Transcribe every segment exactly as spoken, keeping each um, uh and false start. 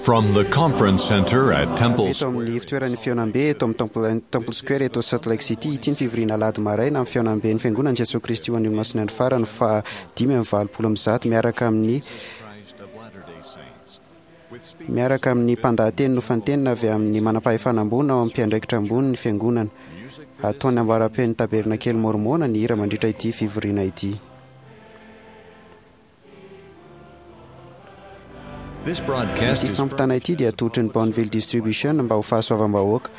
From the conference center at Temple Eto amin'ny ivontoeran'ny fihaonambe eto amin'ny Temple, Temple Square eto Salt Lake City ity ny fivoriana alahady maraina amin'ny fihaonamben'ny fiangonan'i Jesoa Kristy ho an'ny Olomasina andro farany fa dimy amby valopolo amby zato miaraka amin'ny miaraka amin'ny mpandahateny nofantenina avy amin'ny manam-pahefana ambony ao amin'ny mpiandraikitra ambony ny fiangonana. Ataony ambaram-pen'ny tabernakely Mormona ny hira mandritra ity fivoriana ity. This broadcast Ity is fampitana ity dia atolotry ny Bonneville Distribution mba ho fahasoavam-bahoaka.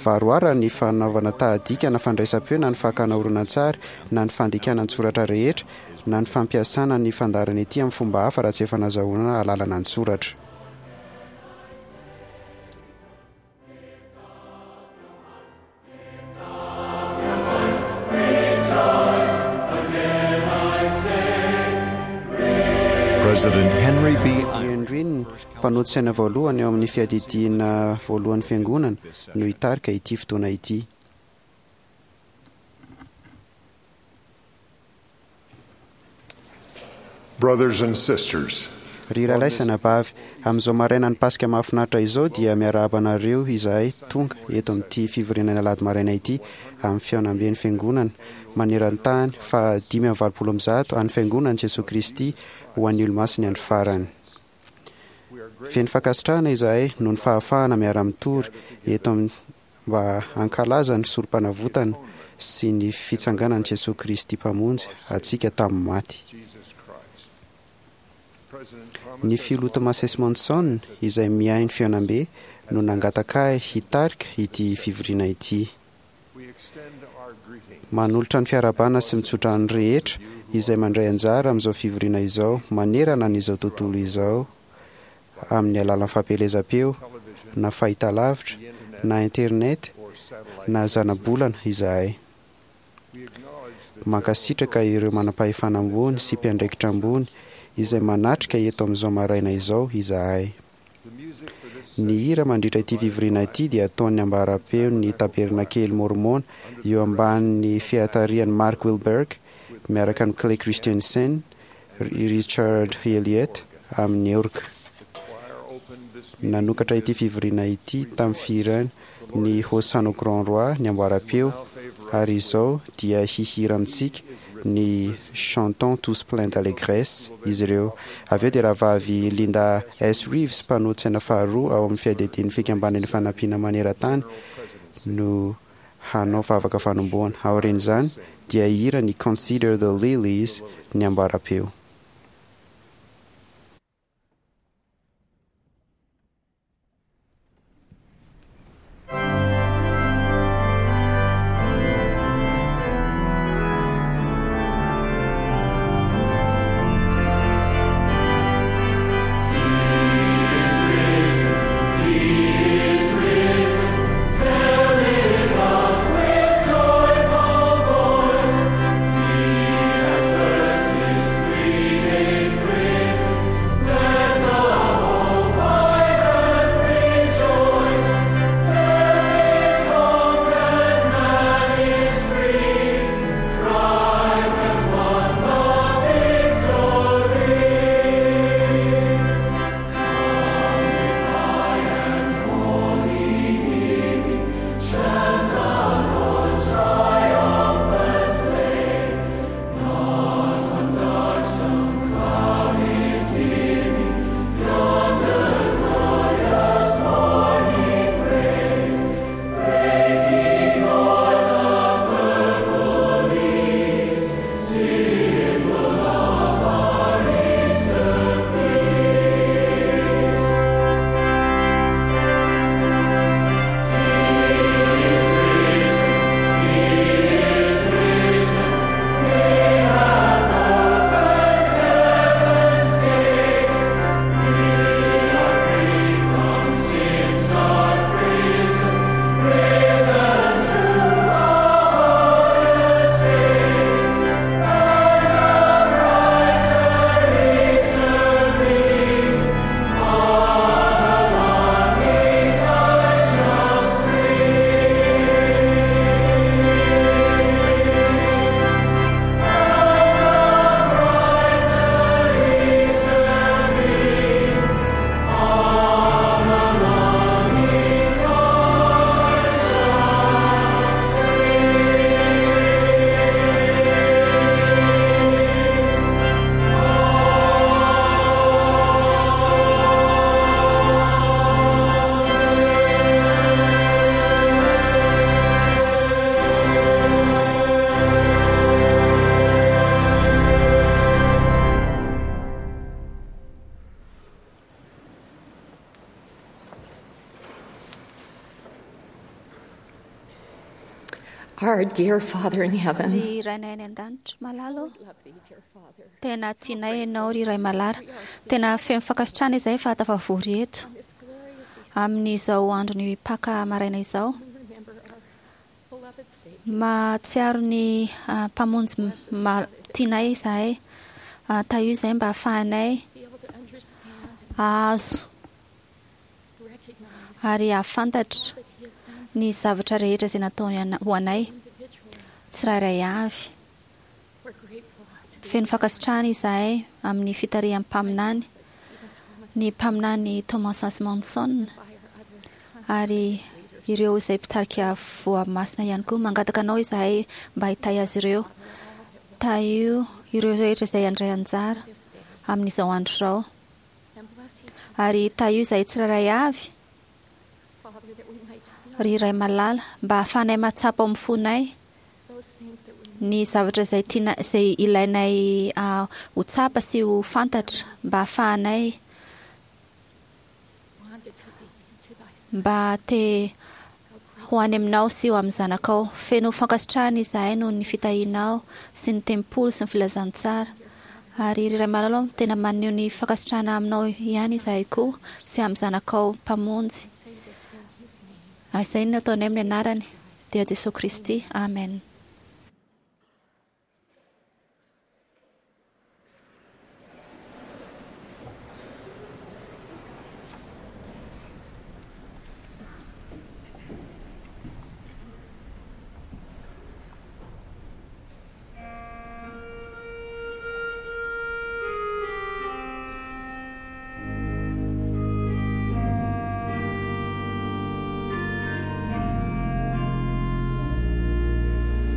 Varoara ny fanaovana tahadika na fandraisam-peo na ny fakana horonantsary na ny fandikana an-tsoratra rehetra na ny fampiasana ny fandaharana ity amin'ny fomba hafa raha tsy efa nazahoana alalana an-tsoratra. President Henry B. Henry, mpanolo-tsaina voalohany eo amin'ny fiadidiana voalohan'ny fiangonana no hitarika ity fotoana ity. Brothers and sisters, Ry rahalahy sy anabavy, amin'izao maraina ny Paska mahafinaritra izao dia miarahaba anareo izahay tonga eto amin'ity fivoriana ny alahady maraina ity amin'ny fihaonamben'ny fiangonana maneran-tany fa dimy amby valopolo amby zato an'ny fiangonan'i Jesoa Kristy ho an'ny Olomasina andro farany. Feno fankasitrahana izahay noho ny fahafahana miara-mitory eto amin'ny mba hankalaza ny sorom-panavotana sy ny fitsanganan'i Jesoa Kristy Mpamonjy antsika tamin'ny maty. Jesus Christ. President Thomas Ny filoha Thomas S. Monson izay miahy ny fihaonambe no nangataka ahy hitarika ity fivoriana ity. we extend our greeting Manolotra ny fiarahabana sy mitsodrano rehetra izay mandray anjara amin'izao fivoriana izao manerana an'izao tontolo izao amin'ny alalan'ny fampielezam-peo television, na fahitalavitra the internet, na internet or satellite. na zanabolana izahay. We acknowledge the Mankasitraka ireo manam-pahefana ambony sy mpiandraikitra ambony izay manatrika eto amin'izao maraina izao izahay. the music for this Ny hira mandritra ity fivoriana ity dia ataon'ny ambaram-peo ny tabernakely Mormona eo ambanin'ny fiatarihan'i Mark Wilberg miaraka amin'ny Clay Christensen, Richard Elliott amin'ny orga. the choir opened this meeting Nanokatra ity fivoriana ity tamin'ny fihirana ny Hosanna au Grand Roi ny ambaram-peo ary izao dia hihira amintsika ny Chantons tous pleins d'allégresse izy ireo. Avy eo dia rahavavy Linda S. Reeves mpanolo-tsaina faharoa ao amin'ny fiadidian'ny fikambanan'ny fanampiana maneran-tany no hanao vavaka fanombohana. Aorian'izany dia hihira ny Consider the Lilies ny ambaram-peo. Three. Our dear Father in heaven, Ry Rainay any an-danitra malala ô, tena tianay ianao ry Ray malala. Tena feno fankasitrahana izahay fa tafavory eto amin'izao andron'ny Paka maraina izao. Mahatsiaro ny ah, mpamonjy ma- tianay izahay. Ah, Tahio izahay mba hahafahanay hahazo ary hahafantatra ny zavatra rehetra izay nataony ana- ho anay tsirairay avy. Feno fankasitrahana izahay amin'ny fitarihan'ny mpaminany, ny mpaminany Thomas S. Monson ary ireo izay mpitarika voamasina ihany koa. Mangataka anao izahay mba hitahy azy ireo. Tahio ireo rehetra izay handray anjara amin'izao andro izao. Ary tahio izahay tsirairay avy, ry Ray malala, mba hahafahanay mahatsapa ao amin'ny fonay ny zavatra izay tiana izay ilainay ah, ho tsapa sy ho fantatra mba hahafahanay mba te ho any aminao sy ho amin'ny zanakao. Feno fankasitrahana izahay noho ny fitahianao sy ny tempoly sy ny filazantsara. Ary ry Ray malala, tena maneho ny fankasitrahana aminao ihany izahay koa sy amin'ny zanakao mpamonjy. Izay no nataonay amin'ny anarany dia Jesosy Kristy. Amen. Thank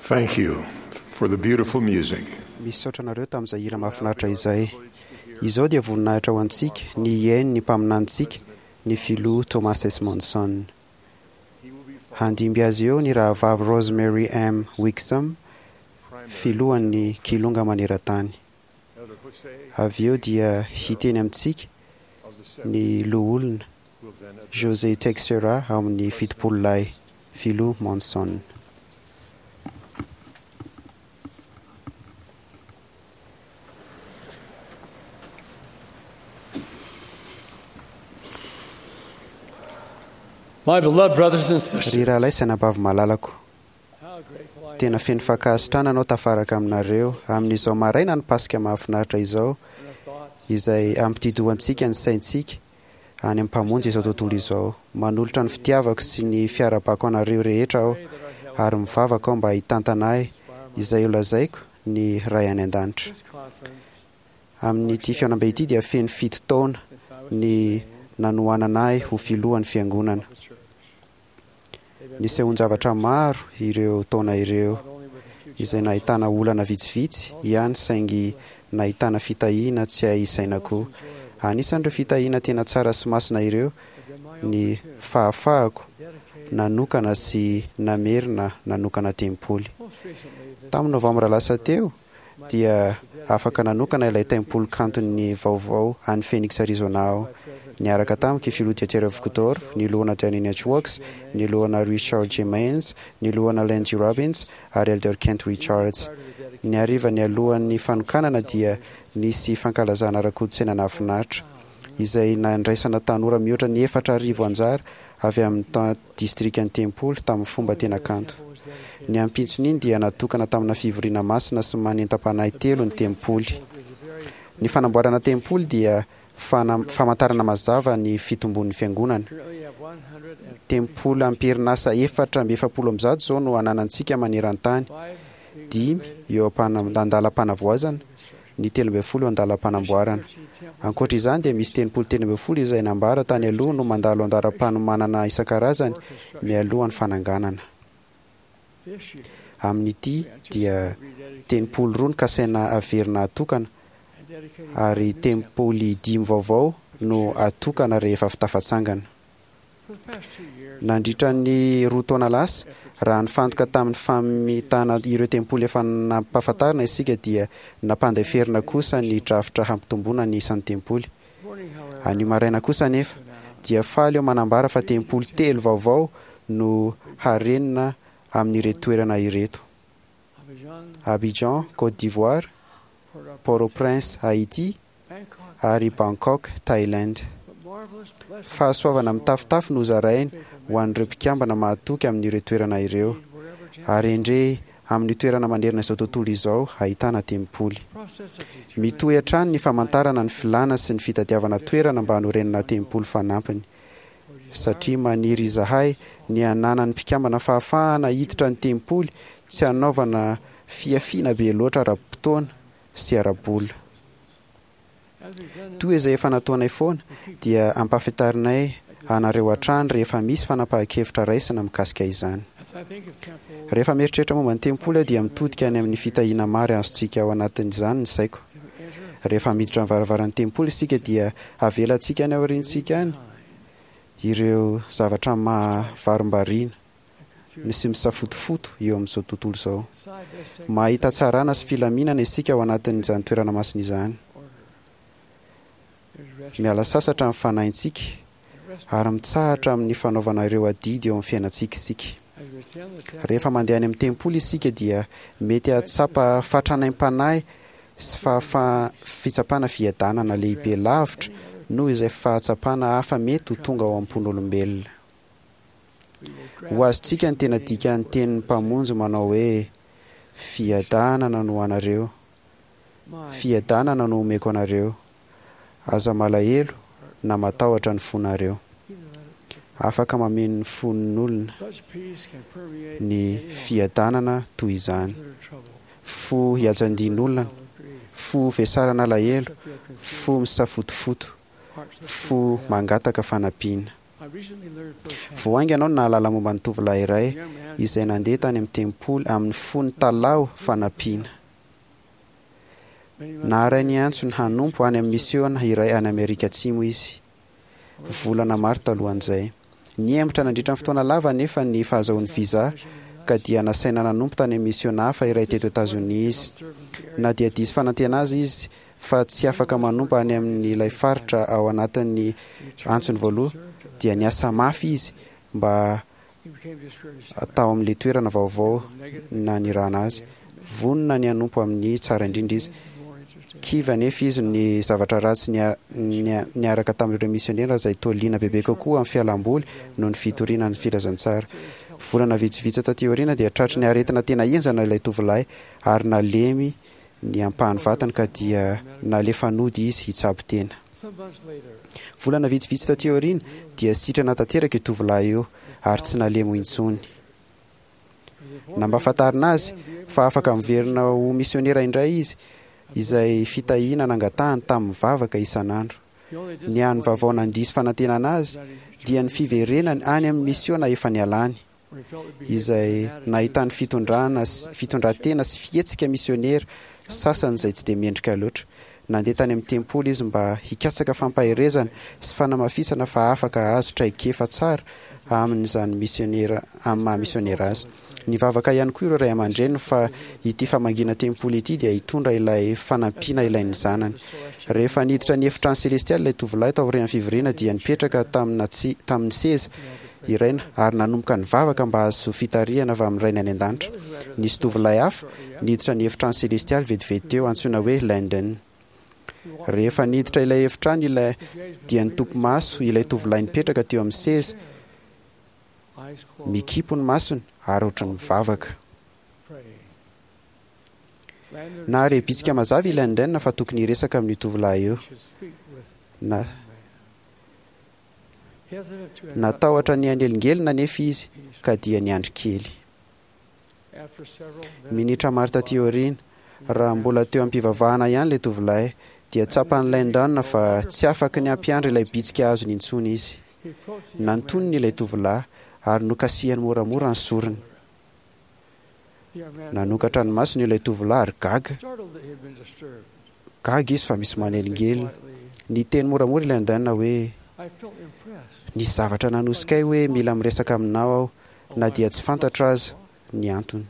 Thank you for the beautiful music. Misaotra anareo tamin'izay hira mahafinaritra izay. Izao dia voninahitra ho antsika ny hihaino ny mpaminanintsika, ny filoha Thomas S. Monson. Handimby azy eo ny rahavavy Rosemary M. Wixom, filohan'ny Kilonga maneran-tany. Avy eo dia hiteny amintsika ny loholona José Teixeira ao amin'ny fitopolo lahy, filoha Monson. My beloved brothers and sisters, Ry rahalahy sy anabavy malalako, how grateful I am tena feno fankasitrahana anao tafaraka aminareo amin'izao maraina ny Paska mahafinaritra izao, and our thoughts izay ampitidohantsika ny saintsika any amin'ny mpamonjy izao tontolo izao. Manolotra ny fitiavako sy ny fiarabako anareo rehetra aho, ary mivavaka aho mba hitantana ahy izay ho lazaiko ny Ray any an-danitra. this conference Amin'ity fihaonambe ity dia feno fito taona since I was ny nanohanana ahy ho filohan'ny fiangonana. of the church. They've been Nisehoan-javatra maro ireo taona ireo, not only with a few izay nahitana olana vitsivitsy ihany saingy nahitana fitahiana tsy hay isaina koa. Anisan'ireo fitahiana tena tsara sy masina ireo have been my ny opportunity fahafahako to dedicate nanokana sy namerina nanokana tempoly. most recently this Tamin'ny novambra lasa teo my dia to dedicate afaka nanokana ilay tempoly kanton'ny vaovao any Phoenix Arizona aho. by President Niaraka tamiko i filoha Dieter Uchtdorf, ny lohana Danny Networks, ny lohana Richard J. Maines, ny lohana Len G. Robbins ary Elder Kent Richards. prior to the dedication Ny hariva ny alohan'ny fanokanana dia nisy fankalazana ara-kolontsaina nahafinaritra izay nandraisana tanora mihoatra ny efatra arivo anjara avy amin'ny ta- distrikan'ny tempoly tamin'ny fomba tena kanto. was dedicated Ny ampitson'iny dia natokana tamina fivoriana masina sy manentam-panahy telo ny tempoly. is a very Ny fanamboarana tempoly dia fana- famantarana mazava ny fitombon'ny fiangonana. currently have one hundred and Tempoly amperinasa efatra amby efapolo amby zato izao no ananantsika maneran-tany, five being dimy renovated eo ampana- andalam-panavoazana, ny telo ambin'ny folo eo andalam-panamboarana. thirteen temples Ankoatra izany dia misy tempoly telo ambin'ny folo izay nambara tany aloha no mandalo andalam-panomanana isan-karazany mialohan'ny fananganana. this year Amin'ity dia rededicated tempoly roa no kasaina averina atokana and dedicating ary new temple. tempoly dimy vaovao no atokana rehefa fitafatsangana. For the past two years, Nandritra ny roa taona lasa, raha nifantoka tamin'ny famitana ireo tempoly efa nampahafantarina isika dia nampandeferina kosa ny drafitra hampitomboana ny isan'ny tempoly. this morning, however, Anio maraina kosa anefa dia faly eo manambara fa tempoly telo vaovao no harenina amin'ireto toerana ireto: Abidjan, Abidjan, Côte d'Ivoire, Port-au-Prince, Port-au-Prince, Haïti Bangkok, ary Bangkok, Thaïlande. but marvelous blessings Fahasoavana mitafotafo no zarainy ho an'ireo mpikambana mahatoky amin'ireo toerana ireo, wherever temple ary endrey amin'ny toerana manerana izao tontolo izao ahitana tempoly. process of determining Mitohy hatrany ny famantarana ny filàna sy ny fitadiavana toerana mba hanorenana tempoly fanampiny, satria maniry izahay ny hananan'ny mpikambana fahafahana hiditra ny tempoly tsy hanaovana fiafiana be loatra ara-potoana sy ara-bola. as we've done in Toy izay efa nataonay foana dia ampahafantarinay anareo hatrany rehefa misy fanapahan-kevitra raisina mikasika izany. as I think of temples, Rehefa mieritreritra momba ny tempoly aho dia mitodika any amin'ny fitahiana maro azontsika ao anatin'izany ny saiko. if we enter Rehefa miditra ny varavaran'ny tempoly isika dia avelantsika any aoriantsika any ireo zavatra mahavarimbariana ny sy misafotofoto eo amin'izao tontolo izao. inside this sacred Mahita tsarana sy filaminana isika ao anatin'izany toerana masina izany. order, there's rest Miala sasatra ny fanahintsika and rest ary mitsahatra amin'ny fanaovana ireo adidy eo amin'ny fiainantsika isika. as we attend the temple. Rehefa mandeha any amin'ny tempoly isika dia mety hahatsapa fatranaim-panahy sy fahafaha- fitsapana fiadanana lehibe lavitra noho izay fahatsapana hafa mety ho tonga ao am-pon'olombelona. We will Ho grasp azontsika ny tena dikan'ny tenin'ny mpamonjy manao hoe fiadanana no anareo, my fiadanana no omeko anareo. Aza malahelo na matahotra ny fonareo. either let it- Afaka mameno ny fon'olona Such peace can permeate ny any heart fiadanana toy izany. that are troubled, Fo hiajandian'olona, of grief, fo vesarana alahelo, that feel confused, fo misafotofoto, hearts that fo seek mangataka fanampiana. Vao haingana aho no nahalala momba ny tovolahy iray izay nandeha tany amin'ny tempoly amin'ny fony talaho fanampiana. Naharay ny antsony hanompo any amin'ny misiona iray any Amerika Atsimo izy, volana maro talohan'izay. Nihemotra nandritra ny fotoana lava anefa ny fahazahoany visa, ka dia nasaina nanompo tany amin'ny misiona hafa iray teto Etazonia izy. Na dia diso fanantena aza izy fa tsy afaka manompo any amin'ilay faritra ao anatin'ny antsony voaloha, dia niasa mafy izy mba tao amin'ilay toerana vaovao nanirahana azy. Vonona ny hanompo amin'ny tsara indrindra izy. Kivy anefa izy ny zavatra ratsy niaraka tamin'ireo misionera izay toa liana bebe kokoa amin'ny fialamboly noho ny fitoriana ny filazantsara. Volana vitsivitsy taty aoriana dia tratry ny aretina tena henjana ilay tovolahy ary nalemy ny ampahan'ny vatany ka dia nalefa nody izy hitsabo tena. Volana vitsivitsy taty aoriana dia sitrana tanteraka io tovolahy io ary tsy nalemy intsony. Nampahafantarina azy fa afaka miverina ho misionera indray izy, izay fitahiana nangatahany tamin'ny vavaka isan'andro. Ny hany vaovao nandiso fanantenana azy dia ny fiverenany any amin'ny misiona efa nialany, izay nahitany fitondrana fitondran-tena sy fihetsika misionera sasany izay tsy dia mendrika loatra. Nandeha tany amin'ny tempoly izy mba hikatsaka fampaherezana sy fanamafisana fa afaka hahazo traikefa tsara amin'izany misionera amin'ny maha misionera azy. Nivavaka ihany koa ireo ray aman-dreniny fa ity famangiana tempoly ity dia hitondra ilay fanampiana ilain'ny zanany. Rehefa niditra ny efitrano selestialy ilay tovolahy taorian'ny fivoriana dia nipetraka tamina tsy tamin'ny seza iray ary nanomboka nivavaka mba hahazo fitarihana avy amin'ny rainy any an-danitra. Nisy tovolahy hafa niditra ny efitrano selestialy vetivety teo, antsoina hoe Landon. Rehefa niditra ilay efitrano ilay dia nitopy maso ilay tovolahy nipetraka teo amin'ny seza, mikipo ny masony ary ohatran'ny mivavaka. Nahare bitsika mazava i Landon fa tokony hiresaka amin'io tovolahy io. Na natahotra ny hanelingelina anefa izy ka dia niandry kely. Minitra maro taty aoriana, raha mbola teo am-pivavahana ihany ilay tovolahy, dia tsapan'i Landon fa tsy afaky ny hampiandry ilay bitsika azony intsony izy. Nantoniny ilay tovolahy ary nokasihany moramora ny sorony. Nanokatra ny masony ilay tovolahy ary gaga. Gaga izy fa misy manelingelina. Niteny moramora i Landon hoe: "Nisy zavatra nanosika ahy hoe mila miresaka aminao aho, na dia tsy fantatro aza ny antony."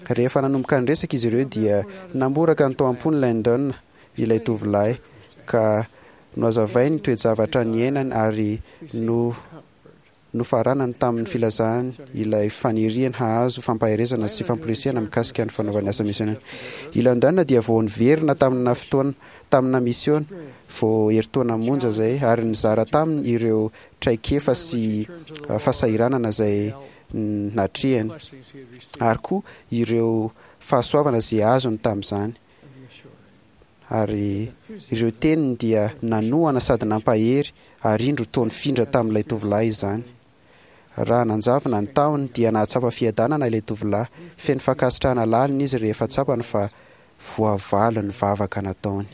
Rehefa nanomboka niresaka izy ireo dia namboraka ny tao am-pony Landon ilay tovolahy ka nohazavainy ny toe-javatra niainany ary no nofaranany tamin'ny filazany ilay faniriany hahazo fampaherezana sy famporisihana mikasika ny fanaovany asa misionera. I Landon dia vao niverina tamina fotoana tamina misiona vao herintaona monja izay ary nizara taminy ireo traikefa sy fahasahiranana izay natrehany ary koa ireo fahasoavana izay azony tamin'izany. Ary ireo teniny dia nanohana sady nampahery ary indro toa nifindra tamin'ilay tovolahy izany. Raha nanjavona ny tahony dia nahatsapa fiadanana ilay tovolahy, feno fankasitrahana lalina izy rehefa tsapany fa voavaly ny vavaka nataony.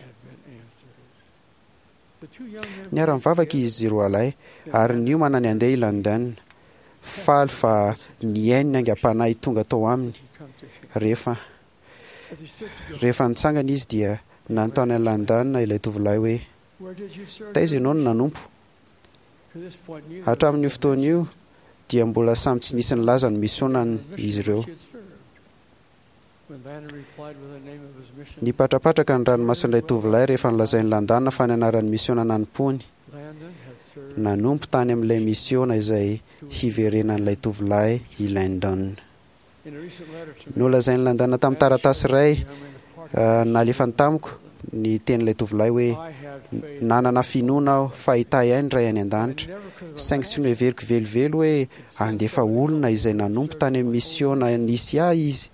Niara-nivavaka izy roalahy ary niomana ny handeha i Landon, faly fa nihaino ny aingam-panahy tonga tao aminy. Rehefa rehefa nitsangana izy dia nanontany an'i Landon ilay tovolahy hoe: "Taiza ianao no nanompo?" Hatramin'io fotoana io dia mbola samy tsy nisy nilaza ny misionany izy ireo. Nipatrapatraka ny ranomason'ilay tovolahy rehefa nolazain'i Landon fa ny anaran'ny misiona nanompoany. Nanompo tany amin'ilay misiona izay hiverenan'ilay tovolahy i Landon. Nolazain'i Landon tamin'ny taratasy iray nalefany tamiko ny tenin'ilay tovolahy hoe: "Nanana finoana aho fa hitahy ahy ny Ray any an-danitra, saingy tsy noheveriko velively hoe handefa olona izay nanompo tany amin'ny misiona nisy ahy izy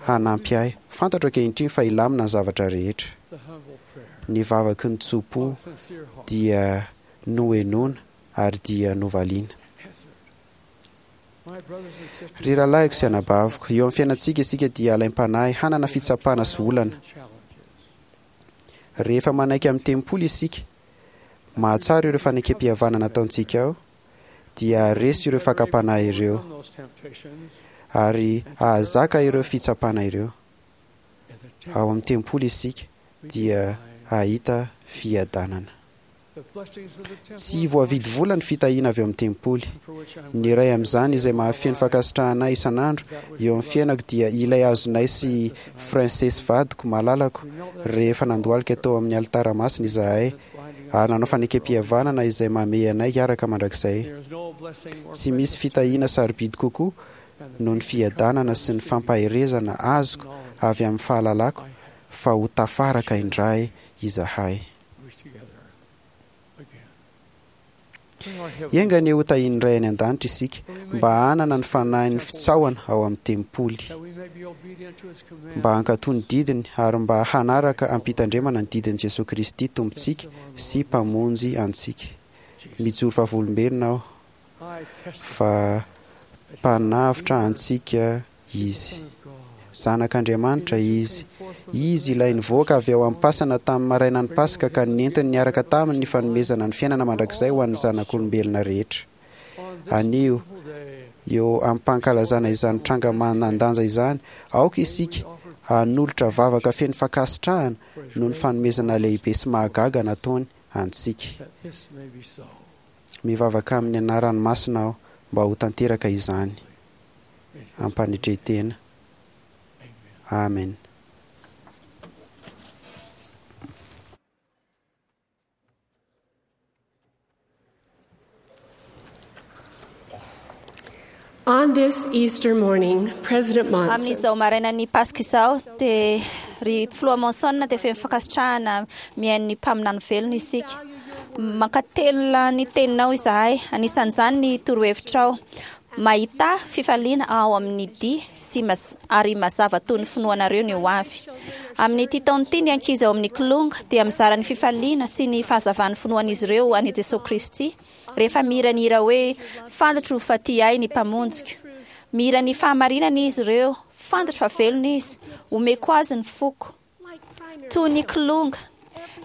hanampy ahy. Fantatro ankehitriny fa hilamina ny zavatra rehetra." Ny vavaky ny tso-po dia nohenoina ary dia novaliana. Ry rahalahiko sy anabaviko, eo amin'ny fiainantsika isika dia alaim-panahy hanana fitsapana sy olana. Rehefa manaiky amin'ny tempoly isika mahatsara ireo fanekempihavanana nataontsika ao, dia haharesy ireo fakam-panahy ireo Overcome those temptations ary hahazaka ireo fitsapana ireo. in the Ao amin'ny temple. tempoly isika We dia can find hahita fiadanana. the blessings of the temple Tsy voavidy vola ny fitahiana avy ao amin'ny tempoly. for which I'm Ny iray amin'izany izay mahafeno fankasitrahana isan'andro eo amin'ny fiainako dia ilay azonay sy Princesse vadiko malalako rehefa nandohalika tao amin'ny alitara masina izahay ary nanao fanekempihavanana izay mamehy anay hiaraka mandrakizay. There is no blessing more Tsy misy precious fitahiana sarobidy kokoa than the noho ny fiadanana sy ny fampaherezana azoko avy amin'ny fahalalako fa ho tafaraka indray izahay. we together again. Bring our heavenly Enga anie ho tahian'ny Ray any an-danitra isika mba hanana ny fanahin'ny fitsaohana ao amin'ny tempoly, that we may be obedient to his command. mba hankatò ny didiny ary mba hanaraka am-pitandremana ny didin'i Jesoa Kristy Tompontsika sy Mpamonjy antsika. Mijoro vavolombelona aho I testify fa mpanavotra antsika Izy. Son of God. Zanak'Andriamanitra Izy. Izy ilay nivoaka avy ao am-pasana tamin'ny marainan'ny Paska ka nentiny niaraka taminy ny fanomezana ny fiainana mandrakizay ho an'ny zanak'olombelona rehetra. On this Anio, beautiful day, eo am-pankalazana izany tranga manan-danja izany, aoka isika hanolotra vavaka feno fankasitrahana noho ny fanomezana lehibe sy mahagaga nataony antsika. that this may be so. Mivavaka amin'ny anarany masina aho mba ho tanteraka izany. In his Ampanetren-tena. Amen. Amen. On this Easter morning, President Monson Amin'izao marainan'ny Paska izao dia ry filoha Monson dia feno fankasitrahana mihaino ny mpaminany velona isika. Mankatelina ny teninao izahay, anisan'izany ny torohevitrao. Mahita fifaliana ao amin'ny dia sy maz- ary mazava toy ny finoanareo ny ho avy. Amin'ity taona ity ny ankizy ao amin'ny kilonga dia mizara ny fifaliana sy ny fahazavan'ny finoan'izy ireo an'i Jesoa Kristy rehefa mihira ny hira hoe fantatro fa tia ahy ny mpamonjiko. Mihira ny fahamarinana izy ireo, fantatro fa velona izy, omeko azy ny foko. Toy ny kilonga,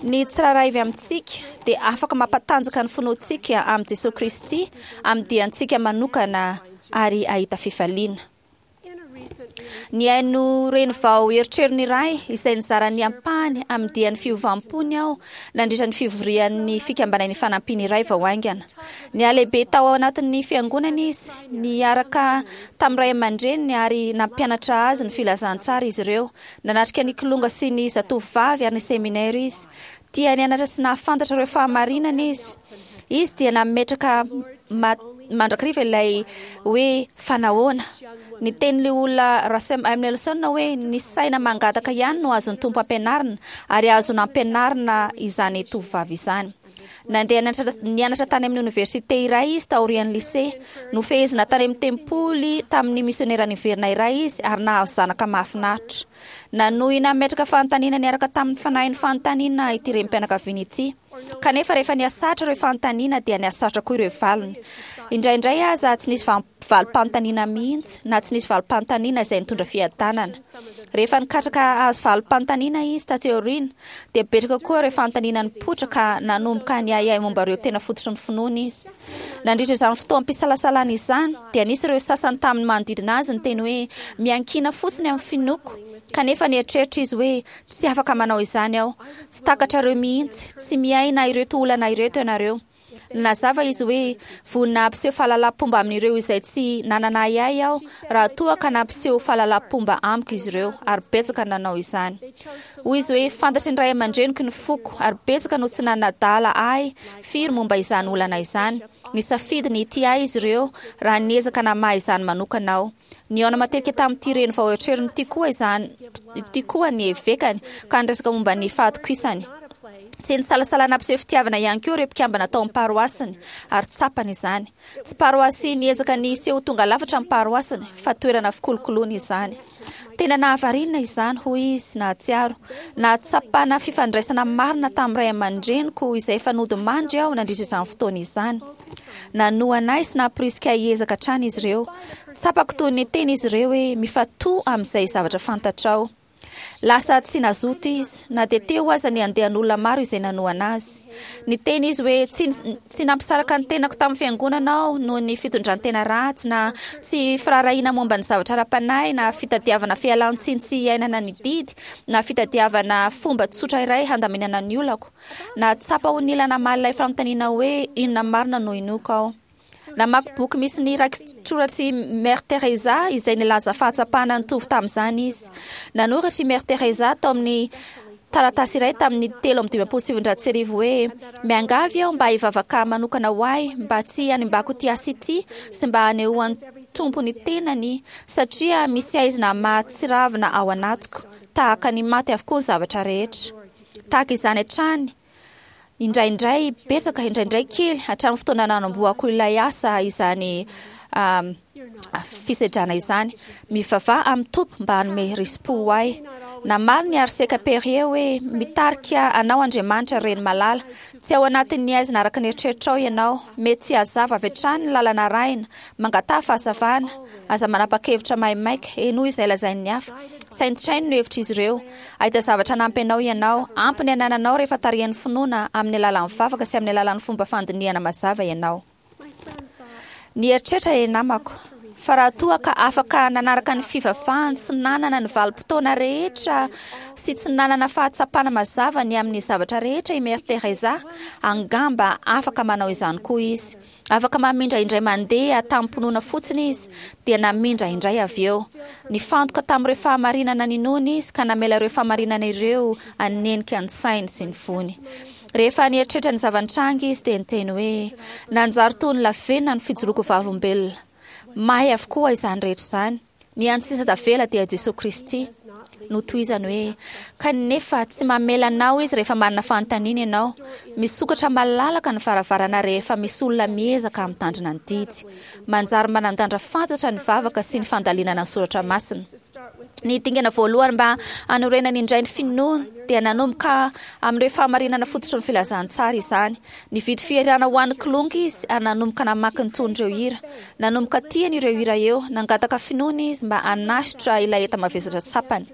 ny tsirairay avy amintsika dia afaka mampatanjaka ny finoantsika amin'i Jesoa Kristy amin'ny diantsika manokana ary ahita fifaliana. Nihaino reny vao eritreriny iray izay nizara ny ampahany amin'ny dian'ny fiovam-pony aho nandritra ny fivorian'ny fikambanan'ny fanampiana iray vao haingana. Nihalehibe tao anatin'ny fiangonana izy, niaraka tamin'ny ray aman-dreniny ary nampianatra azy ny filazantsara izy ireo. Nanatrika ny kilonga sy ny zatovovavy ary ny seminera izy. Tia nianatra sy nahafantatra ireo fahamarinana izy. Izy dia nametraka ma- mandrakariva ilay hoe fanahoana. Ny tenin'ilay olona Russell M. Nelson hoe ny saina mangataka ihany no azon'ny tompo ampianarina ary azo nampianarina izany tovovavy izany. Nandeha nianatra, nianatra tany amin'ny oniversite iray izy taorian'ny lycée. Nofehezina tany amin'ny tempoly tamin'ny misionera niverina iray izy ary nahazo zanaka mahafinaritra. Nanohy nametraka fanontaniana niaraka tamin'ny fanahin'ny fanontaniana ity renim-pianakaviana ity. Kanefa rehefa niasatra ireo fanontaniana dia niasatra koa ireo valiny. Indraindray aza tsy nisy vam- valim-panontaniana mihitsy na tsy nisy valim-panontaniana izay nitondra fiadanana. Rehefa nikatraka azo valim-panontaniana izy taty aoriana dia betsaka koa ireo fanontaniana nipoitra ka nanomboka niahiahy momba ireo tena fototry ny finoana izy. Nandritra izany fotoam-pisalasalana izany dia nisy ireo sasany tamin'ny manodidina azy niteny hoe miankina fotsiny amin'ny finoako. Kanefa nieritreritra izy hoe tsy afaka manao izany aho. Tsy takatrareo mihitsy, tsy miaina ireto olana ireto ianareo. Nazava izy hoe vonona hampiseho fahalalam-pomba amin'ireo izay tsy nanana ahiahy aho raha toa ka nampiseho fahalalam-pomba amiko izy ireo ary betsaka nanao izany. Hoy izy hoe fantatry ny ray aman-dreniko ny foko ary betsaka no tsy nanadala ahy firy momba izany olana izany. Nisafidy ny hitia ahy izy ireo raha niezaka namaha izany manokana aho. Nihaona matetika tamin'ity reny vao eritreriny ity koa izany ity koa ny evekany ka niresaka momba ny fahatokisany. Tsy nisalasala nampiseho fitiavana ihany koa ireo mpikambana tao amin'ny paroasiny ary tsapany izany. Tsy paroasy niezaka ny hiseho tonga lafatra ny paroasiny fa toerana fikolokoloana izany. Tena nahavariana izany hoy izy nahatsiaro. Nahatsapana fifandraisana marina tamin'ny ray aman-dreniko izay efa nodimandry aho nandritra izany fotoana izany. Nanohana ahy sy nampirisika ahy hiezaka hatrany izy ireo. Tsapako toy ny teny izy ireo hoe mifantoha amin'izay zavatra fantatrao. Lasa tsy nazoto izy na dia teo aza ny andehan'olona maro izay nanohana azy. Niteny izy hoe tsy tsy nampisaraka ny tenako tamin'ny fiangonana aho noho ny fitondran-tena ratsy na tsy firaharahiana momba ny zavatra ara-panahy na fitadiavana fialan-tsiny tsy iainana ny didy na fitadiavana fomba tsotra iray handaminana ny olako. Nahatsapa ho nila namaly ilay fanontaniana hoe inona marina no inoako aho. Namaky boky misy ny rakitsoratr'i Mère Teresa izay nilaza fahatsapana nitovy tamin'izany izy. Nanoratra i Mère Teresa tao amin'ny taratasy iray tamin'ny telo amby dimampolo sy sivinjato sy arivo hoe miangavy aho mba hivavaka manokana ho ahy mba tsy hanimbako ity asa ity sy mba hanehoan'ny Tompo ny tenany satria misy aizina mahatsiravina ao anatiko tahaka ny maty avokoa ny zavatra rehetra. Tahaka izany hatrany indraindray betsaka, indraindray kely, hatramin'ny fotoana nanombohako ilay asa izany um, fisedrana izany. Mivavaha amin'ny Tompo mba hanome risi-po ho ahy. Namaly ny arseka Perrier hoe mitarika anao Andriamanitra reny malala. Tsy ao anatin'ny aizina araka ny eritreritrao ianao. Mety tsy hazava avy hatrany ny lalana arahina. Mangataha fahazavana. Aza manapa-kevitra maimaika. Henoy izay lazain'ny hafa. Saintsaino ny hevitr'izy ireo. Ahita zavatra hanampy anao ianao. Ampy ny anananao rehefa tarihan'ny finoana amin'ny alalan'ny vavaka sy amin'ny alalan'ny fomba fandinihana mazava ianao. Nieritreritra ilay namako fa raha toa ka afaka nanaraka ny fivavahany tsy nanana ny valim-potoana rehetra sy tsy nanana fahatsapana mazava ny amin'ny zavatra rehetra i Mère Teresa, angamba afaka manao izany koa izy. Afaka mamindra indray mandeha tamim-pinoana fotsiny izy, dia namindra indray avy eo. Nifantoka tamin'ireo fahamarinana ninoany izy ka namela ireo fahamarinana ireo hanenika ny sainy sy ny fony. Rehefa nieritreritra ny zava-nitranga izy dia niteny hoe nanjary toy ny lavenona ny fijoroako vavolombelona. Mahay avokoa izany rehetra izany. Ny hany sisa tavela dia Jesoa Kristy. Notohizany hoe kanefa tsy mamela anao izy rehefa manana fanontaniana ianao. Misokatra malalaka ny varavarana rehefa misy olona miezaka mitandrina ny didy. Manjary manan-danja fantatra ny vavaka sy ny fandalinana ny soratra masina. Ny dingana voalohany mba hanorenany indray ny finoany dia nanomboka amin'ireo fahamarinana fototry ny filazantsara izany. Nividy fihirana ho an'ny kilonga izy ary nanomboka namaky ny tonon'ireo hira. Nanomboka tiany ireo hira eo, nangataka finoana izy mba hanasitra ilay enta-mavesatra tsapany.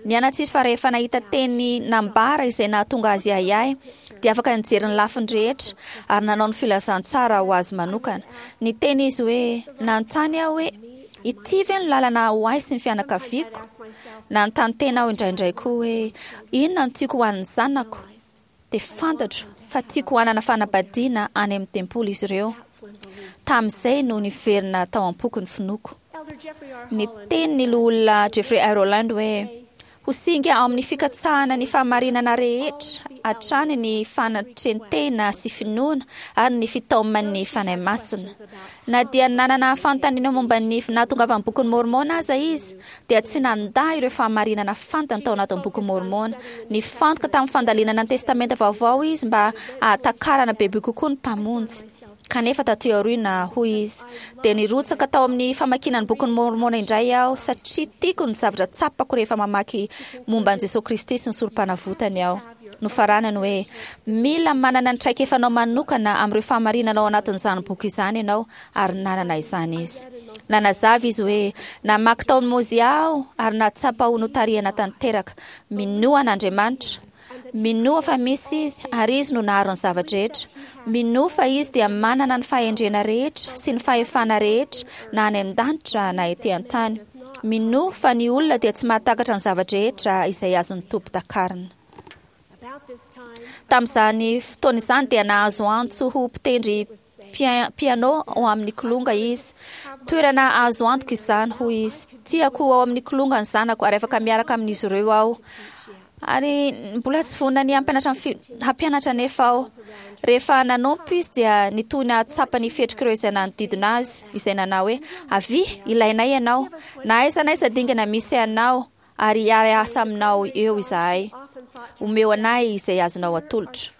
Nianatra izy fa rehefa nahita teny nambara izay nahatonga azy ahiahy, dia afaka nijery ny lafiny rehetra ary nanao ny filazantsara ho azy manokana. Niteny izy hoe nanontany aho hoe ity ve ny lalana ho ahy sy ny fianakaviako? Nanontany tena aho indraindray koa hoe inona no tiako ho an'ny zanako? Dia fantatro fa tiako hanana fanambadiana any amin'ny tempoly izy ireo. Tamin'izay no niverina tao am-poko ny finoako. Niteny ny loholona Jeffrey R. Holland hoe ho singa ao amin'ny fikatsahana ny fahamarinana rehetra hatrany ny fanatren-tena sy finoana ary ny fitaoman'ny Fanahy Masina. Na dia nanana fanontaniana momba ny nahatongavan'ny bokin'i Môrmôna aza izy, dia tsy nandà ireo fahamarinana fantany tao anatin'ny bokin'i Môrmôna. Nifantoka tamin'ny fandalinana ny Testamenta Vaovao izy mba hahatakarana bebe kokoa ny Mpamonjy. Kanefa taty aoriana, hoy izy, dia nirotsaka tao amin'ny famakiana ny bokin'i Môrmôna indray aho satria tiako ny zavatra tsapako rehefa mamaky momba an'i Jesoa Kristy sy ny sorompanavotany aho. Nofaranany hoe mila manana ny traikefanao manokana amin'ireo fahamarinana ao anatin'izany boky izany ianao, ary nanana izany izy. Nanazava izy hoe namaky tao amin'ny Mozia aho ary nahatsapa ho notarihana tanteraka. Minoa an'Andriamanitra. Minoa fa misy Izy ary Izy no nahary ny zava-drehetra. Minoa fa Izy dia manana ny fahendrena rehetra sy ny fahefana rehetra na any an-danitra na ety an-tany. Minoa fa ny olona dia tsy mahatakatra ny zava-drehetra izay azon'ny Tompo takarina. Tamin'izany fotoana izany dia nahazo antso ho mpitendry piano ao amin'ny kilonga izy. Toerana azo antoka izany, hoy izy. Tiako ao amin'ny kilonga ny zanako ary afaka miaraka amin'izy ireo aho. Ary mbola tsy vonona ny hampianatra hampianatra anefa aho. Rehefa nanompo izy dia nitohy nahatsapa ny fihetrik'ireo izay nanodidina azy, izay nanao hoe avia, ilainay ianao. Na aiza na aiza dingana misy anao ary hiara-hiasa aminao eo izahay. Omeo anay izay azonao atolotra.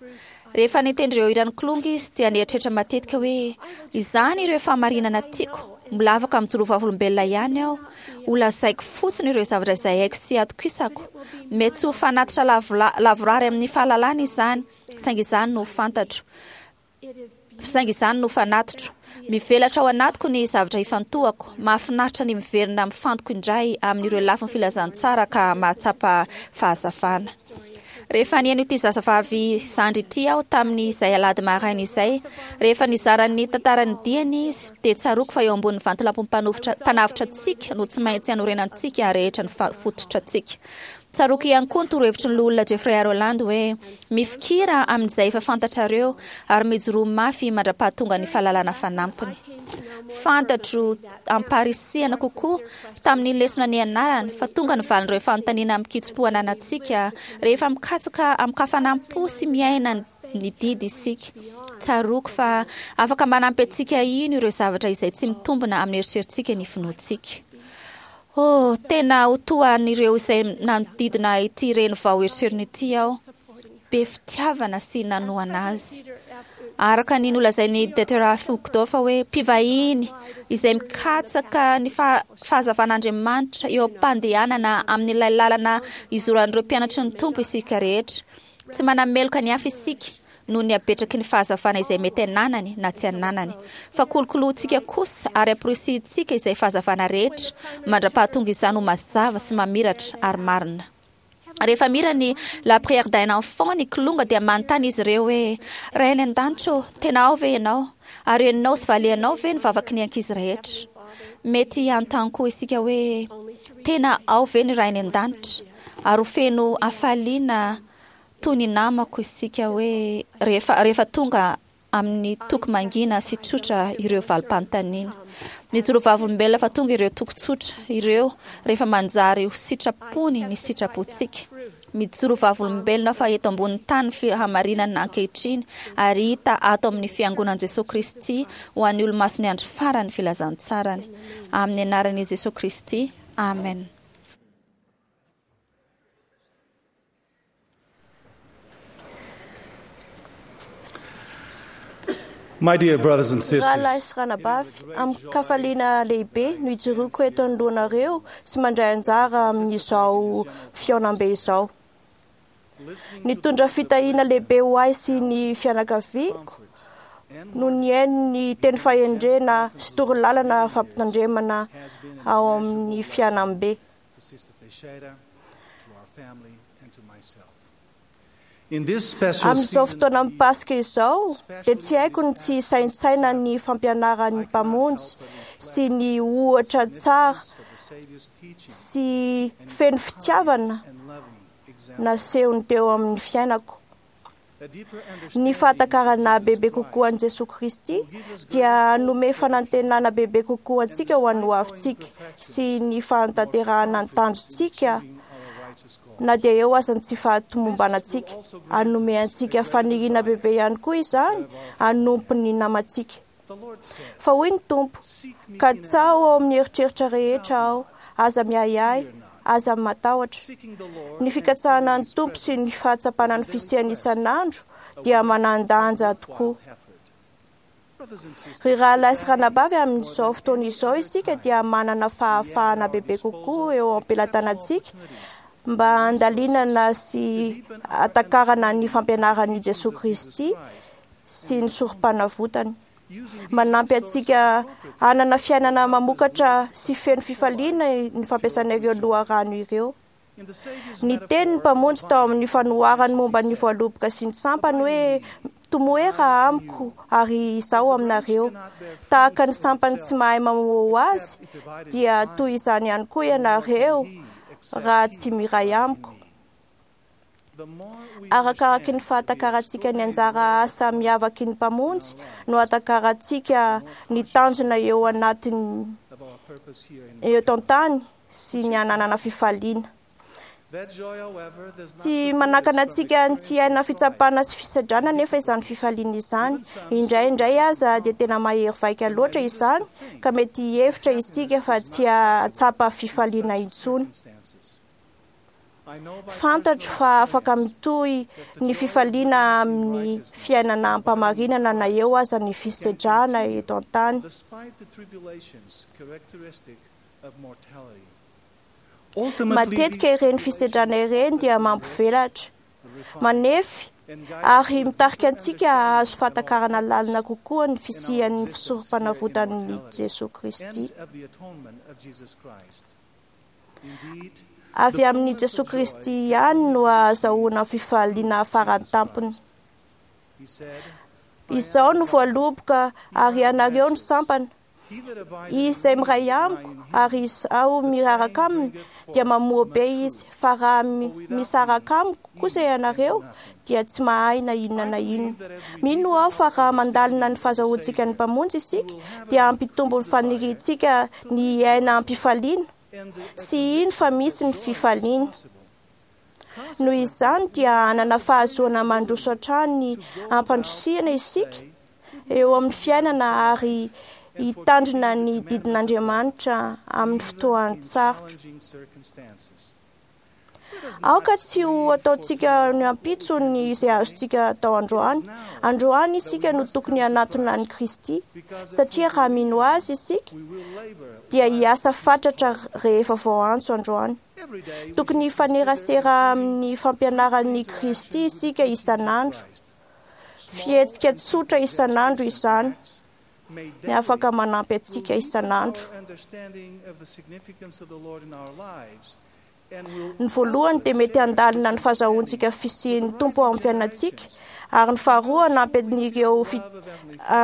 Rehefa nitendry ireo hiran'ny kilonga izy dia nieritreritra matetika hoe izany ireo fahamarinana tiako. Mbola afaka mijoro vavolombelona ihany aho. Ho lazaiko fotsiny ireo zavatra izay haiko sy atokisako. Mety tsy ho fanatitra lavorary amin'ny fahalalana izany, saingy izany no fantatro. Saingy izany no fanatitro. Mivelatra ao anatiko ny zavatra ifantohako. Mahafinaritra ny miverina mifantoko indray amin'ireo lafiny filazantsara ka mahatsapa fahazavana. Rehefa nihaino ity zazavavy zandry ity aho tamin'izay alahady maraina izay, rehefa nizara ny tantaran'ny diany izy, dia tsaroako fa eo ambonin'ny vatolampy mpanavotra antsika no tsy maintsy hanorenantsika rehetra ny fototra antsika. Tsaroako ihany koa ny torohevitry ny loholona Jeffrey R. Holland hoe mifikira amin'izay efa fantatrareo ary mijoroa mafy mandra-pahatonga ny fahalalana fanampiny. Fantatro amparisihana kokoa tamin'ny lesona nianarana fa tonga ny valin'ireo fanontaniana mikitso-po ananantsika rehefa mikatsaka amin-kafanam-po sy miaina ny didy isika. Tsaroako fa afaka manampy antsika hino ireo zavatra izay tsy mitombina amin'ny eritreritsika ny finoantsika. Oh, tena ho toa an'ireo izay nanodidina ity reny vao eritreriny ity aho, be fitiavana sy nanohana azy. Araka ny nolazain'i Dieter F. Uchtdorf hoe mpivahiny izay mikatsaka ny fahazavan'Andriamanitra eo am-pandehanana amin'ilay lalana izoran'ireo mpianatry ny Tompo isika rehetra. Tsy manameloka ny hafa isika noho ny habetraky ny fahazavana izay mety ananany na tsy ananany, fa kolokoloantsika kosa ary amporisihintsika izay fahazavana rehetra mandra-pahatonga izany ho mazava sy mamiratra ary marina. Rehefa mira ny La prière d'un enfant ny kilonga dia manontany izy ireo hoe Ray any an-danitra ô, tena ao ve ianao? Ary henonao sy valianao ve ny vavaky ny ankizy rehetra? Mety hanontany koa isika hoe tena ao ve ny Ray any an-danitra? Ary ho feno hafaliana toy ny namako isika hoe rehefa rehefa tonga amin'ny toko mangina sy tsotra ireo valim-panontaniana. Mijoro vavolombelona fa tonga ireo toko tsotra ireo rehefa manjary ho sitrapony ny sitrapontsika. Mijoro vavolombelona fa eto ambonin'ny tany fahamarinana ankehitriny ary hita ato amin'ny fiangonan'i Jesosy Kristy ho an'ny olomasin'ny andro farany filazantsarany. Amin'ny anaran'i Jesosy Kristy. Amen. My dear brothers and sisters, Rahalahy sy ranabavy, amin-kafaliana lehibe no ijoroako eto anoloanareo sy mandray anjara amin'izao fihaonambe izao. Nitondra fitahiana lehibe ho ahy sy ny fianakaviako no nihaino ny teny fahendrena sy torolalana fampitandremana ao amin'ny fihaonambe. to Sister Teixeira, to our family, and to myself. In this special Amin'izao season, fotoana amin'ny Paska izao dia tsy haiko ny tsy saintsaina ny fampianaran'ny Mpamonjy sy ny ohatra tsara of the Savior's teaching sy feno fitiavana and loving example, nasehony teo amin'ny fiainako. a deeper Ny understanding fahatakarana of Jesus bebe kokoa an'i Christ Jesosy Kristy dia hanome fanantenana bebe kokoa antsika ho an'ny hoavintsika sy ny fahatanterahana ny tanjontsika achieving our righteous goal. na dia eo aza ny tsy fahatomombanantsika. Hanome antsika faniriana bebe ihany koa izany hanompo ny namantsika. The Lord said, Fa hoy ny Tompo, Seek me ka in tsaho ao amin'ny eritreritra rehetra aho, aza miahiahy, aza matahotra. seeking the Lord Ny fikatsahana ny Tompo sy ny fahatsapana ny fisiany isan'andro dia manan-danja tokoa. effort. Brothers and sisters, Ry rahalahy sy ranabavy, amin'izao fotoana izao isika dia manana fahafahana bebe kokoa eo am-pelatanantsika mba handalinana sy hatakarana ny fampianaran'i Jesosy Kristy sy ny sorom-panavotany. using Manampy antsika hanana fiainana mamokatra sy feno fifaliana ny fampiasana ireo loharano ireo. in the Savior's Ny tenin'ny Mpamonjy tao amin'ny fanoharany momba ny voaloboka sy ny sampany hoe tomoera amiko ary izaho aminareo. Tahaka ny sampany tsy mahay mamoa ho azy dia toy izany ihany koa ianareo raha tsy miray amiko. the more we Arakaraky ny fahatakarantsika ny anjara asa miavaky ny Mpamonjy no ahatakarantsika ny tanjona eo anatin'ny of our purpose here in eto an-tany sy ny hananana fifaliana. that joy, however, does not Tsy manakana antsika ny tsy haina fitsapana sy fisedrana nefa izany fifaliana izany. Indraindray aza dia tena mahery vaika loatra izany ka mety hihevitra isika fa tsy hahatsapa fifaliana intsony. circumstances. I know by Fantatro fa afaka mitohy ny fifaliana amin'ny fiainana ampamarinana na eo aza ny fisedrana eto an-tany. despite the tribulations characteristic of mortality. Ultimately, Matetika ireny fisedrana ireny dia mampivelatra. Manefy ary mitarika antsika hahazo fahatakarana lalina kokoa ny fisian'ny fisorom-panavotan'i Jesoa Kristy. Avy amin'i Jesoa Kristy ihany no ahazahoana fifaliana farany tampony. Izao no voaloboka ary ianareo no sampana. Izy izay miray amiko ary izaho miraraka aminy dia mamoa be izy, fa raha misaraka amiko kosa ianareo dia tsy mahay na inona na inona. Mino aho fa raha mandalina ny fahazahoantsika ny Mpamonjy isika dia hampitombo ny faniriantsika ny hiaina am-pifaliana sy hino fa misy ny fifaliana. Noho izany dia hanana fahazoana mandroso hatrany ampandrosihana isika eo amin'ny fiainana ary hitandrina ny didin'Andriamanitra amin'ny fotoan-tsarotra. Aoka tsy ho ataontsika ny ampitso ny izay azontsika atao androany. Androany isika no tokony hanatona an'i Kristy, satria raha mino azy isika dia hiasa fatratra rehefa voaantso androany. Tokony hifanerasera amin'ny fampianaran'i Kristy isika isan'andro. Fihetsika tsotra isan'andro izany ny afaka manampy antsika isan'andro. Ny voalohany dia mety handalina ny fahazahoantsika fisian'ny Tompo ao amin'ny fiainantsika, ary ny faharoa hanampy an'ireo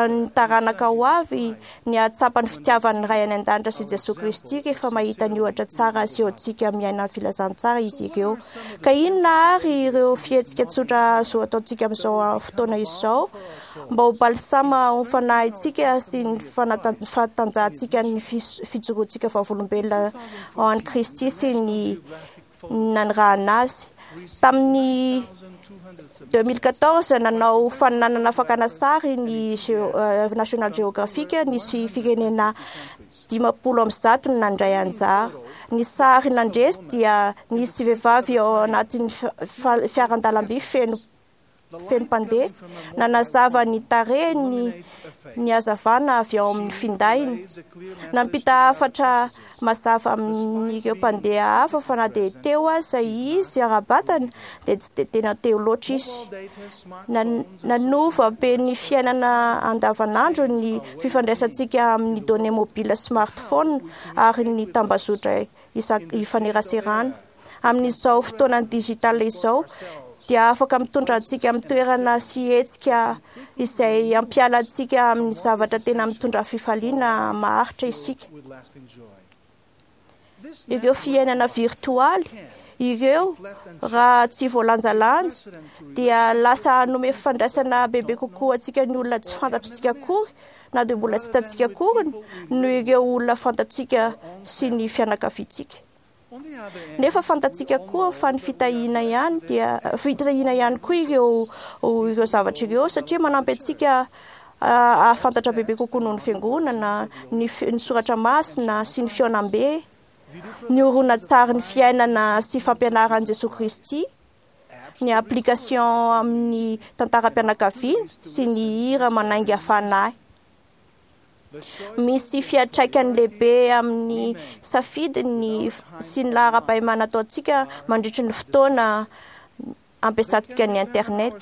ny taranaka ho avy ny hahatsapa ny fitiavan'ny Ray any an-danitra sy Jesoa Kristy rehefa mahita ny ohatra tsara asehontsika miaina ny filazantsara izy ireo. Ka inona ary ireo fihetsika tsotra azo ataontsika amin'izao fotoana izao mba ho balsama ho fanahintsika sy ny fahatanjahantsika ny fijoroantsika vavolombelona ao an'i Kristy sy ny nanirahana azy. Tamin'ny deux mille quatorze nanao fananana fakana sary ny National Geographic, nisy firenena dimampolo amby zato no nandray anjara. Ny sary nandresy dia nisy vehivavy ao anatin'ny fiaran-dalamby feno feno mpandeha, nanazava ny tarehiny ny hazavana avy ao amin'ny findainy. Nampita hafatra mazava amin'ireo mpandeha hafa fa na dia teo aza izy ara-batana dia tsy dia tena teo loatra izy. Nanova be ny fiainana andavanandro ny fifandraisantsika amin'ny données mobile smartphone ary ny tambazotra ifaneraserana. Amin'izao fotoana digital izao dia afaka mitondra antsika amin'ny toerana sy hetsika izay hampiala antsika amin'ny zavatra tena mitondra fifaliana maharitra isika. Ireo fiainana virtoaly ireo raha tsy voalanjalanja dia lasa hanome fifandraisana bebe kokoa antsika ny olona tsy fantatritsika akory na dia mbola tsy hitantsika akory noho ireo olona fantatsika sy ny fianakaviantsika. Nefa fantatsika koa fa ny fitahiana ihany dia fitahiana ihany koa ireo ireo zavatra ireo, satria manampy antsika hahafantatra bebe kokoa noho ny fiangonana, ny ny soratra masina sy ny fihaonambe, ny horonantsary ny fiainana sy fampianaran'i Jesoa Kristy, ny application amin'ny tantaram-pianakaviana sy ny hira manainga fanahy. Misy fiantraikany lehibe amin'ny safidiny sy ny laharam-pahemana ataontsika mandritry ny fotoana ampiasantsika ny internet.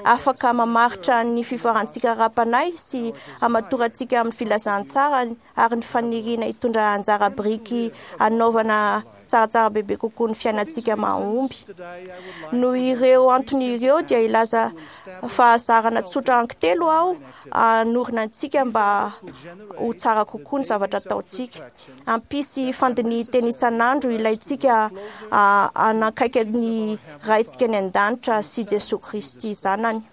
Afaka mamaritra ny fivoarantsika ara-panahy sy hamatorantsika amin'ny filazantsara ary ny faniriana hitondra anjara biriky hanaovana tsaratsara bebe kokoa ny fiainantsika mahomby. Noho ireo antony ireo dia hilaza fahazarana tsotra anankitelo aho hanorina antsika mba ho tsara kokoa ny zavatra ataontsika. Hampisy fandinihan-tena isan'andro ilaintsika hanakaiky ny Raintsika any an-danitra sy Jesoa Kristy Zanany.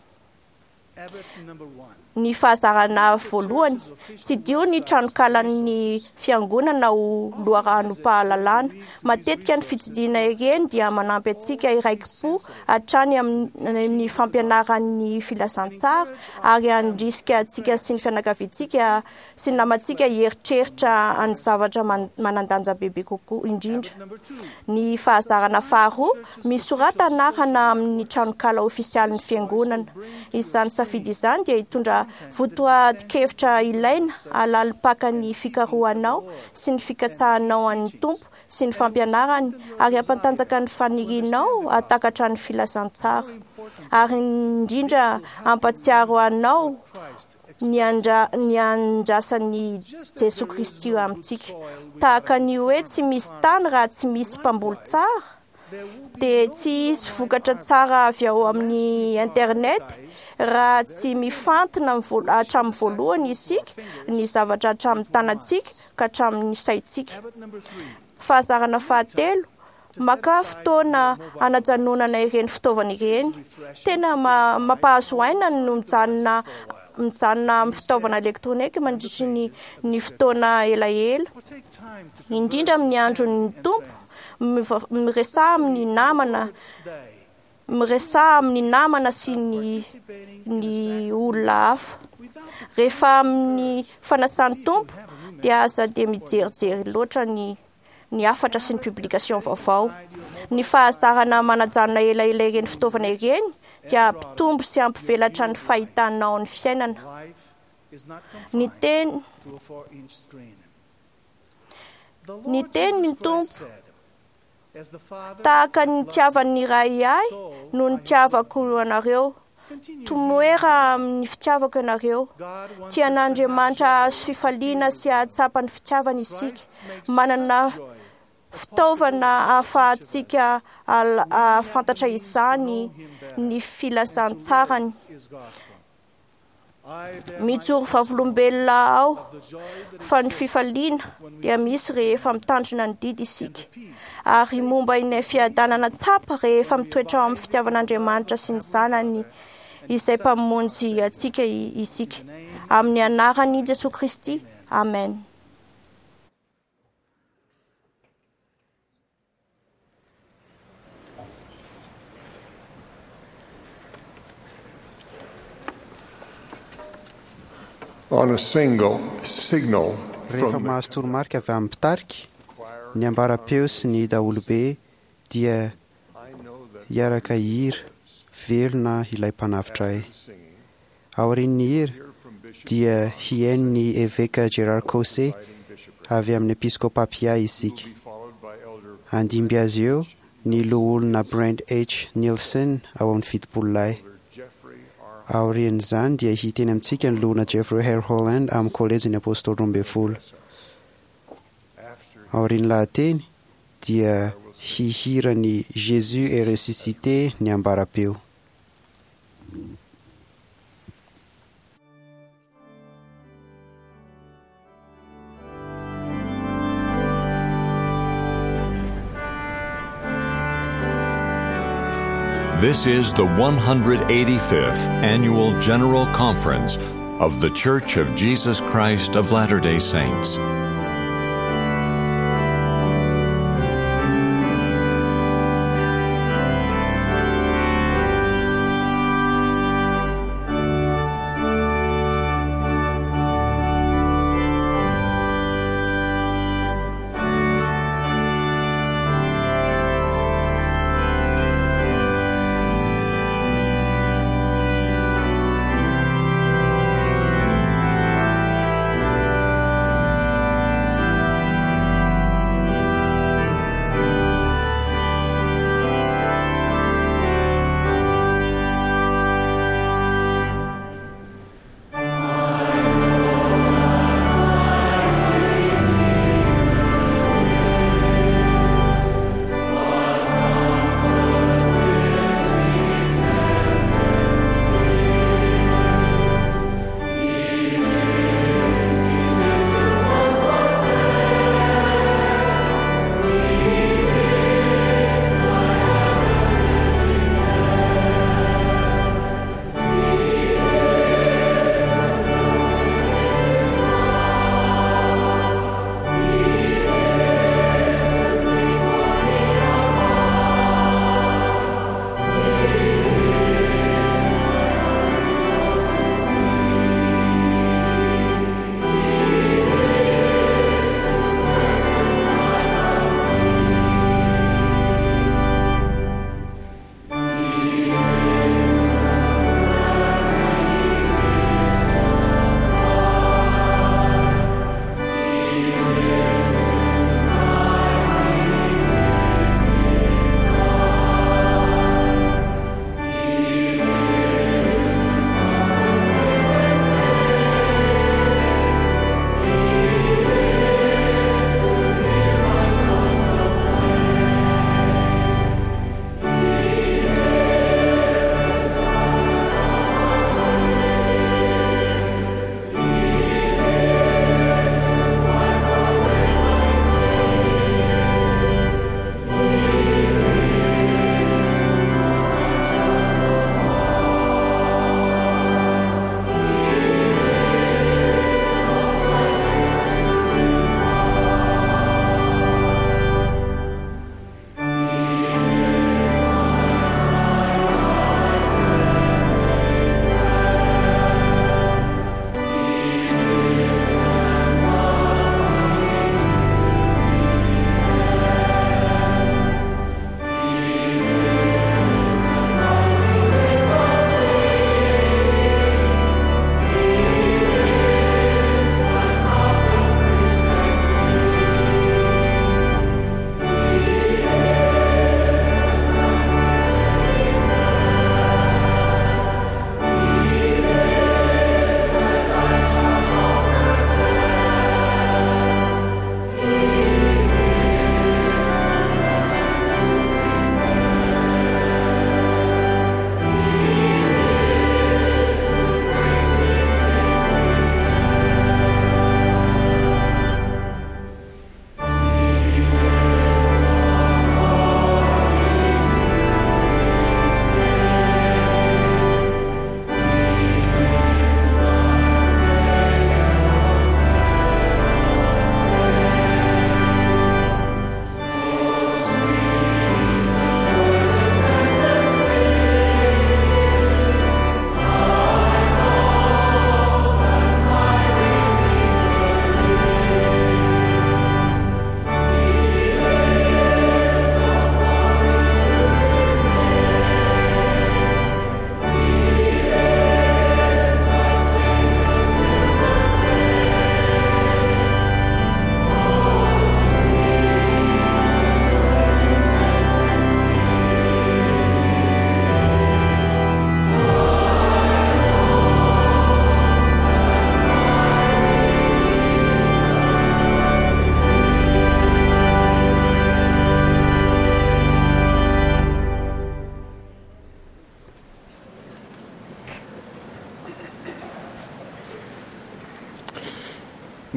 Ny fahazarana voalohany, tsidiho ny tranokalan'ny fiangonana ho loharanom-pahalalana. Matetika ny fitsidihana ireny dia manampy antsika hiraiki-po hatrany amin'ny fampianaran'ny filazantsara ary handrisika antsika sy ny fianakaviantsika sy ny namantsika hieritreritra ny zavatra manan-danja bebe kokoa indrindra. Ny fahazarana faharoa, misorata anarana amin'ny tranokala ofisialin'ny fiangonana. Izany safidy izany dia hitondra dia votoatin-kevitra ilaina halalim-paka ny fikarohanao sy ny fikatsahanao an'ny Tompo sy ny fampianarany ary hampantanjaka ny fanirianao hahatakatra ny filazantsara ary indrindra hampatsiaro anao ny andra ny andrasan'i Jesoa Kristy amintsika. Tahaka ny hoe tsy misy tany raha tsy misy mpamboly tsara, dia tsy hisy vokatra tsara avy ao amin'ny internet raha tsy mifantina hatramin'ny voalohany isika ny zavatra hatramin'ny tanantsika ka hatramin'ny saintsika. Fahazarana fahatelo, maka fotoana hanajanonana ireny fitaovana ireny. Tena mampahazo aina no mijanona mijanona amin'ny fitaovana elektronika mandritry ny ny fotoana elaela, indrindra amin'ny andron'ny Tompo. Miresaha amin'ny namana, miresaha amin'ny namana sy ny ny olona hafa. Rehefa amin'ny fanasan'ny Tompo dia aza dia mijerijery loatra ny ny hafatra sy ny publication vaovao. Ny fahazarana manajanona elaela ireny fitaovana ireny dia hampitombo sy hampivelatra ny fahitanao ny fiainana. Ny teny ny teny ny Tompo tahaka ny nitiavan'ny Ray ahy no nitiavako anareo. Tomoera amin'ny fitiavako ianareo. Tian'Andriamanitra hahazo fifaliana sy hahatsapa ny fitiavana isika. Manana fitaovana ahafahantsika ahafantatra izany ny filazantsarany. Mijoro vavolombelona aho fa ny fifaliana dia misy rehefa mitandrina ny didy isika, ary momba ilay fiadanana tsapa rehefa mitoetra ao amin'ny fitiavan'Andriamanitra sy ny Zanany izay mpamonjy antsika isika. Amin'ny anaran'i Jesoa Kristy, amen. On a single signal Rehefa from the mahazo toromarika avy amin'ny mpitarika, ny ambara-peo sy ny daholobe dia hiaraka hira velona ilay mpanavotra ahy. Aorian'ny hira dia hihaino ny eveka Gerard Caussé avy amin'ny episkopapia isika. Handimby azy eo ny loholona Brent H. Nielsen ao amin'ny fitopolo lahy. Aorian'izany dia hiteny amintsika ny loholona Jeffrey R. Holland amin'ny kolejin'ny Apôstôly roa ambin'ny folo. Aorian'ny lahateny dia hihira ny Jésus est ressuscité ny ambara-peo. This is the one hundred eighty-fifth Annual General Conference of The Church of Jesus Christ of Latter-day Saints.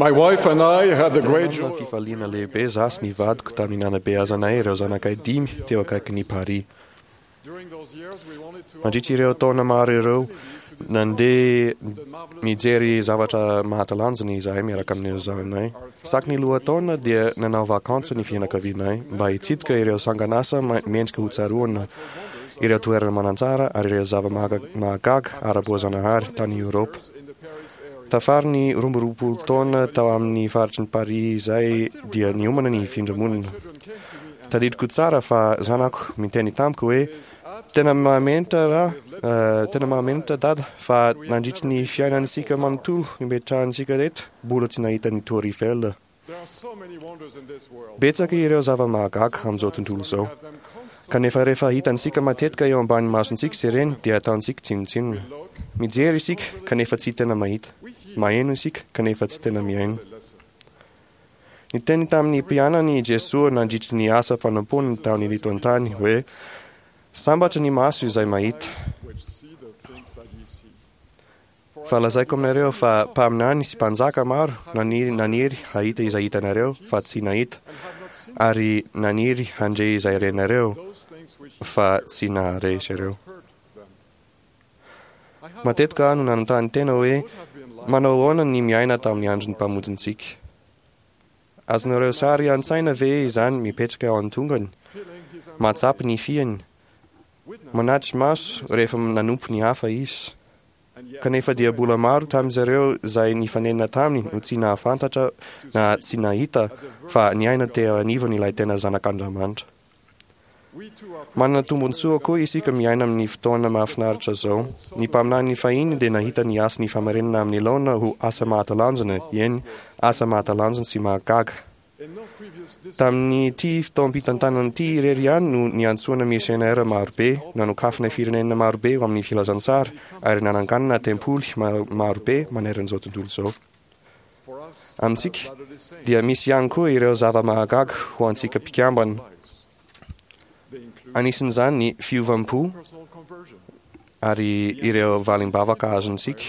My wife and I had the great Nanana joy fifaliana lehibe za sy ny vadiko tamin'ny nanabeazanay ireo zanakay dimy teo akaikin'i Paris. Mandritra ireo taona maro ireo, nandeha nijery zavatra mahatalanjona izahay miaraka amin'ireo zananay. Isaky ny lohataona dia nanao vakansa ny fianakavianay mba hitsidika ireo sanganasa ma- mendrika ho tsaroana, ireo toerana manan-tsara ary ireo zava-mahagaga ara-boazanahary tany Eoropa. Tafary ny roa amby roapolo taona tao amin'ny faritry ny Paris izay dia niomana ny hifindra-monina. Tadidiko tsara fa zanako miteny tamiko hoe tena mahamenatra raha eh, tena mahamenatra dada fa nandritry ny fiainantsika manontolo nipetrahantsika reto mbola tsy nahita ny Tour Eiffel. Betsaka ireo zava-mahagaga amin'izao tontolo izao. Kanefa rehefa hitantsika matetika eo ambany masontsika izy ireny dia ataontsika tsinontsinona. Mijery isika kanefa tsy tena mahita. Maheno isika kanefa tsy tena mihaino. Niteny tamin'ny mpianany i Jesoa nandritry ny asa fanompoany tamin'ny eto an-tany hoe sambatra ny maso izay mahita. Fa lazaiko aminareo fa mpaminany sy mpanjaka maro naniry naniry hahita izay hitanareo fa tsy nahita, ary naniry handre izay renareo fa tsy nahare izy ireo. Matetika aho no nanontany tena hoe manao ahoana ny miaina tamin'ny andron'ny mpamonjintsika. Azonareo sary an-tsaina ve izany mipetraka ao an-tongany, mahatsapa ny fiany, manatry maso rehefa nanompo ny hafa izy? Kanefa dia mbola maro tamin'izareo izay nifanena taminy no tsy nahafantatra na tsy nahita fa niaina teo anivony ilay tena zanak'Andriamanitra. Manana tombontsoa koa isika miaina amin'ny fotoana mahafinaritra izao. Ny mpaminany fahiny dia nahita ny asan'ny famarinana amin'ny laona ho asa mahatalanjona, eny, asa mahatalanjona sy mahagaga. Tamin'ity fotoam-pitantanana ity irery ihany no niantsoana misionera marobe, nanokafana firenena marobe ho amin'ny filazantsara ary nananganana tempoly ma- marobe maneran'izao tontolo izao. Amintsika dia misy ihany koa ireo zava-mahagaga ho antsika mpikambana. Anisan'izany ny fiovam-po ary ireo valim-bavaka azontsika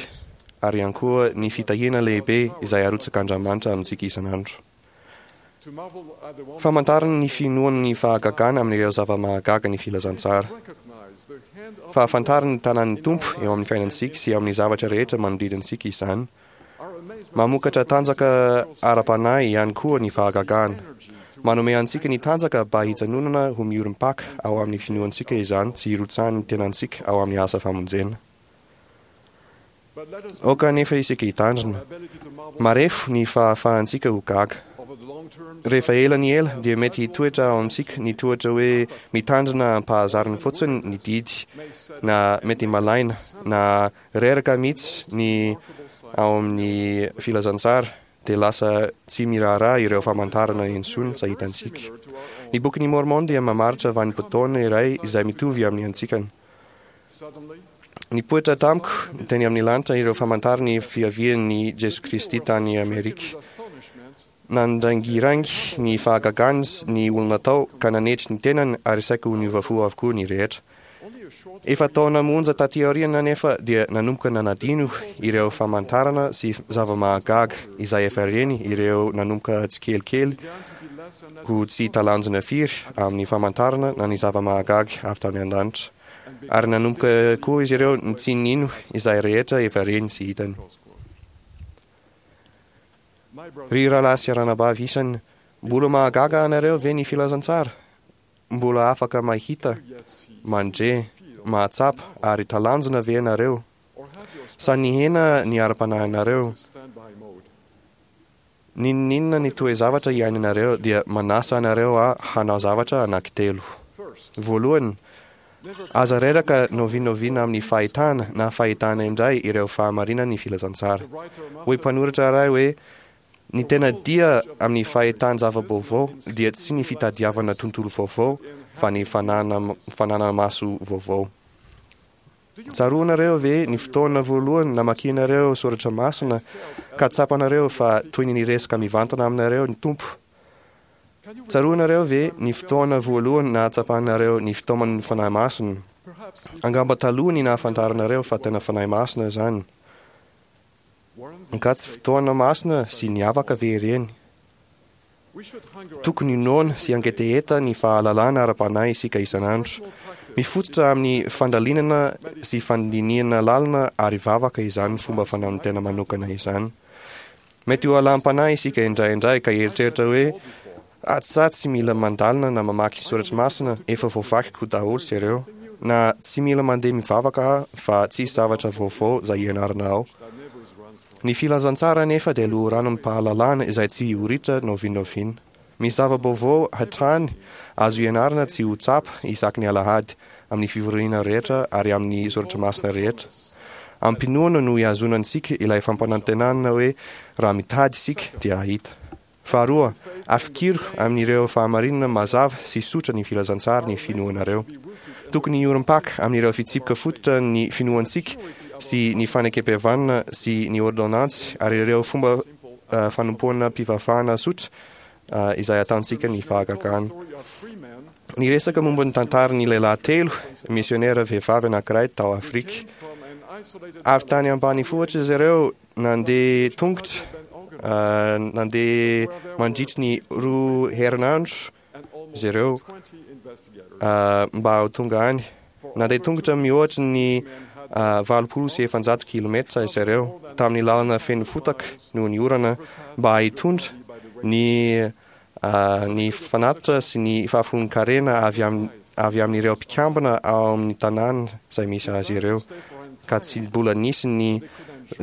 ary ihany koa ny fitahiana lehibe izay arotsak'Andriamanitra amintsika isan'andro. Famantarana ny finoana ny fahagagana amin'ireo zava-mahagaga ny filazantsara. Fahafantarana ny tanan'ny Tompo eo amin'ny fiainantsika sy amin'ny zavatra rehetra manodidina antsika izany. Mamokatra tanjaka ara-panahy ihany koa ny fahagagana. Manome antsika ny tanjaka mba hijanonana ho miorim-paka ao amin'ny finoantsika izany sy hirotsahan'ny tenantsika ao amin'ny asa famonjena. Aoka anefa isika hitandrina. Marefo ny fahafahantsika ho gaga. Rehefa ela ny ela dia mety hitoetra ao amintsika ny toetra hoe mitandrina am-pahazarana fotsiny ny didy, na mety malaina na reraka mihitsy ny ao amin'ny filazantsara dia lasa tsy miraharaha ireo famantarana intsony tsy hitantsika. Ny bokin'i Mormon dia mamaritra vanim-potoana iray izay mitovy amin'ny antsikana. Nipoitra tamiko teny amin'ny lanitra ireo famantarany fiavian'i Jesoa Kristy tany Amerika. Nandrangiraingy ny fahagagany ny olona tao ka nanetry ny tenany ary saika ho niova fo avokoa ny rehetra. Efa taona monja taty aoriana anefa dia nanomboka nanadino ireo famantarana sy zava-mahagaga izay efa reny ireo nanomboka tsikelikely ho tsy talanjona firy amin'ny famantarana na ny zava-mahagaga avy tany an-danitra. Ary nanomboka koa izy ireo tsy nino izay rehetra efa reny sy hitany. Ry rahalahy sy ranabavy isany, mbola mahagaga anareo ve ny filazantsara? Mbola afaka mahita, mandre, mahatsapa ary talanjona ve ianareo? Sa nihena ny ara-panahinareo? N'inon'inona ny toe-zavatra iainanareo dia manasa anareo aho hanao zavatra anankitelo. Voalohany, aza reraka n'oviana amin'ny fahitana na fahitana indray ireo fahamarinan'ny filazantsara. Hoy mpanoratra iray hoe ny tena dia amin'ny fahitan-java-baovao dia tsy ny fitadiavana tontolo vaovao fa ny fanana fananana maso vaovao. Tsaroanareo ve ny fotoana voalohany namakianareo soratra masina ka tsapanareo fa toy ny niresaka mivantana aminareo ny Tompo? Tsaroanareo ve ny fotoana voalohany nahatsapanareo ny fitaoman'ny Fanahy Masina? Angamba taloha ny nahafantaranareo fa tena Fanahy Masina izany. Ka tsy fotoana masina sy niavaka ve ireny? Tokony noana sy hangetaheta ny fahalalana ara-panahy isika isan'andro. Mifototra amin'ny fandalinana sy fandinihana lalina ary vavaka izany fomba fanaon'ny tena manokana izany. Mety ho alam-panahy isika indraindray ka hieritreritra hoe ah, tsy mila mandalina na mamaky soratra masina, efa voavakiko daholo sy ireo, na tsy mila mandeha mivavaka fa tsisy zavatra vaovao izay ianarana ao. Ny filazantsara nefa dia loharanom-pahalalana izay tsy ho ritra na oviana na oviana. Misy zava-baovao hatrany azo ianarana tsy ho tsapa isaky ny alahady, amin'ny fivoriana rehetra ary amin'ny soratra masina rehetra. Am-pinoana no ihazonantsika ilay fampanantenana hoe raha mitady isika dia hahita. Faharoa, afikiro amin'ireo fahamarinana mazava sy tsotra ny filazantsara ny finoanareo. Tokony hiorim-paka amin'ireo fitsipika fototra ny finoantsika sy ny fanekem-pihavanana sy ny ordonnantsy ary ireo fomba uh, fanompoam-pivavahana tsotra uh, izay ataontsika ny fahagagana. Niresaka momba ny tantaran'ny lehilahy telo, misionera vehivavy anankiray tao Afrika. Avy tany ambanivohitra izy ireo nandeha tongotra, uh, nandeha mandritry ny roa herinandro izy ireo uh, mba ho tonga any. Nandeha tongotra mihoatra ny uh, valopolo sy efajato kilometra izy ireo tamin'ny lalana feno fotaka noho ny orana mba hitondra ny uh, ny fanatitra sy ny fahafolon-karena avy am, avy amin'ireo mpikambana ao amin'ny tanàna izay misy azy ireo, ka tsy mbola nisy ny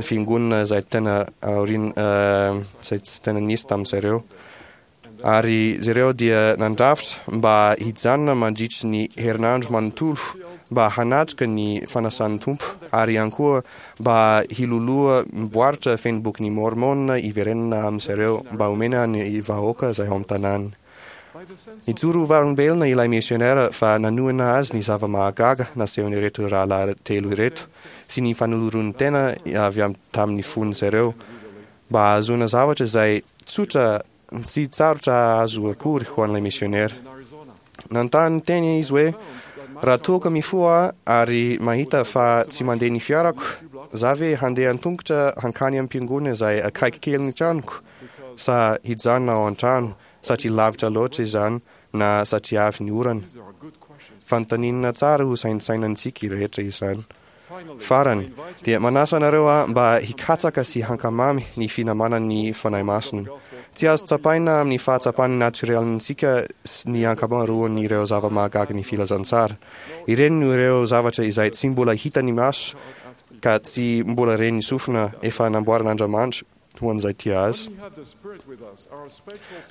fiangonana izay tena aorina uh, izay tsy tena nisy tamin'izareo. Ary izy ireo dia nandrafitra mba hijanona mandritry ny herinandro manontolo mba hanatrika ny fanasan'ny Tompo, ary ihany koa mba hiloloha miboaritra feno bokin'ny Mormona hiverenana amin'izareo mba homena ny vahoaka izay ao amin'ny tanàna. Nijoro vavolombelona ilay misionera fa nanohana azy ny zava-mahagaga nasehon'ireto rahalahy telo ireto sy ny fanolorony tena avy am tamin'ny fon'izareo mba hahazoana zavatra izay tsotra tsy tsarotra azo akory ho an'ilay misionera. Nanontany teny izy hoe raha toa ka mifoha ary mahita fa tsy mandeha ny fiarako, za ve handeha an-tongotra hankany am-piangonana izay akaiky kely ny tranoko, sa hijanona ao an-trano satria lavitra loatra izany na satria avy ny orana? Fanontaniana tsara ho saintsainantsika rehetra izany. Farany, dia manasa anareo aho mba hikatsaka sy hankamamy ny finamanan'ny Fanahy Masina. Tsy azo tsapaina amin'ny fahatsapan'ny natioralintsika ny ankamaroan'ireo zava-mahagaga ny filazantsara. Ireny no ireo zavatra izay tsy mbola hitan'ny maso ka tsy mbola ren'ny sofina efa namboarin'Andriamanitra ho an'izay tia azy.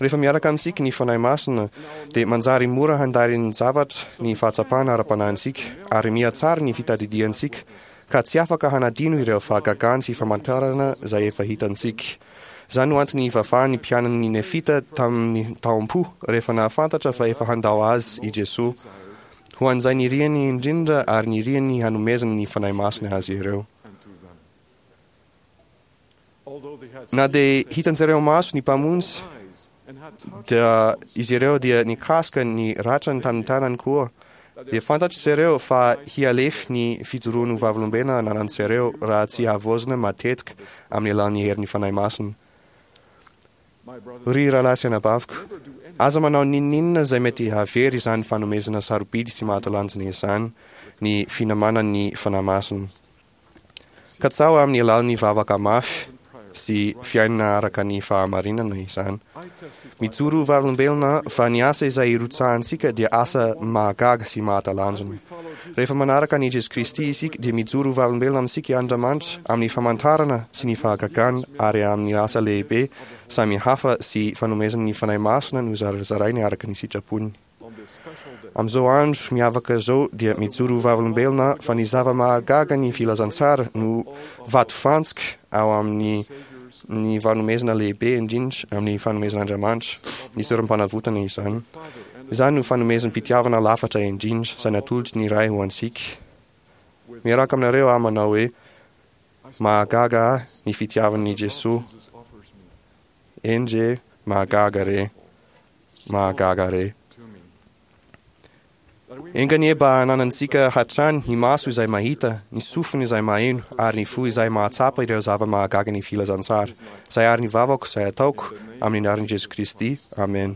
Rehefa miaraka amintsika ny Fanahy Masina dia manjary mora handary ny zavatra ny fahatsapana ara-panahintsika ary mihatsara ny fitadidiantsika ka tsy afaka hanadino ireo fahagagana sy famantarana izay efa hitantsika. Izany no antony ivavahan'ny mpianany Nefita tamin'ny taom-po rehefa nahafantatra fa efa handao azy i Jesoa, ho an'izay niriany indrindra ary niriany hanomezana ny Fanahy Masina azy ireo. Na dia hitan'izareo maso ny Mpamonjy, dia izy ireo dia nikasika ny ratrany tamin'ny tanany koa, dia fantatr'izareo fa hialefy ny fijoroan'ny vavolombelona ananan'izareo raha tsy havaozina matetika amin'ny alalan'ny herin'ny Fanahy Masina. Ry rahalahy sy anabaviko, aza manao n'inon'inona izay mety hahavery izany fanomezana sarobidy sy mahatalanjona izany, ny finamanan'ny Fanahy Masina. Katsaho amin'ny alalan'ny vavaka mafy sy fiainana araka ny fahamarinana izany. Mijoro ho vavolombelona fa ny asa izay irotsahantsika dia asa mahagaga sy mahatalanjona. Rehefa manaraka an'i Jesoa Kristy isika dia mijoro ho vavolombelona amintsika Andriamanitra amin'ny famantarana sy ny fahagagana ary amin'ny asa lehibe samy hafa sy fanomezana ny Fanahy Masina no zarazarainy araka ny sitrapony. Amin'izao andro miavaka izao dia mijoro ho vavolombelona fa ny zava-mahagaga ny filazantsara no vatofantsika ao amin'ny ny fanomezana lehibe indrindra amin'ny fanomezan'Andriamanitra, ny sorom-panavotana izany. Izany no fanomezam-pitiavana lafatra indrindra izay natolotry ny Ray ho antsika. Miaraka aminareo aho manao hoe mahagaga ahy ny fitiavan'i Jesoa. Endrey mahagaga re, mahagaga re. Enga anie mba hananantsika hatrany ny maso izay mahita, ny sofina izay maheno, ary ny fo izay mahatsapa ireo zava-mahagaga ny filazantsara. Izay ary ny vavako izay ataoko amin'ny anaran'i Jesoa Kristy. Amen.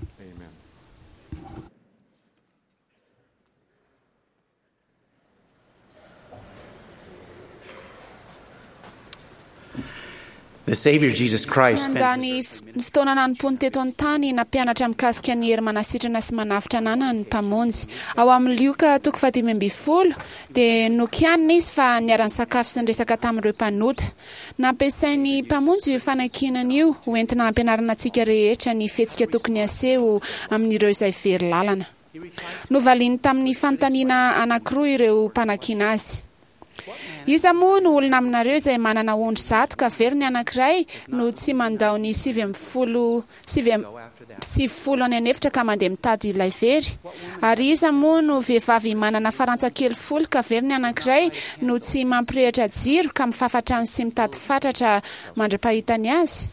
The Savior Jesus Christ spent Nandany his f- ny fotoana nanompoany teto an-tany nampianatra mikasika ny hery manasitrana sy manavotra ananany ny mpamonjy. Ao amin'ny Lioka toko fahadimy ambin'ny folo dia nokianina izy fa niara-nisakafo sy niresaka tamin'ireo mpanota. Nampiasain'ny mpamonjy io fanakianana io ho entina hampianarana antsika rehetra ny fihetsika tokony haseho amin'ireo izay very lalana. Novaliany tamin'ny fanontaniana anankiroa ireo mpanakiana azy. Iza moa no olona aminareo izay manana ondry zato ka very ny anankiray no tsy mandao ny sivy ambin'ny folo sivy am- sivifolo any an'efitra ka mandeha mitady ilay very? Ary iza moa no vehivavy manana farantsa kely folo ka very ny anankiray no tsy mampirehitra jiro ka mifafa trano sy mitady fatratra mandra-pahitany azy?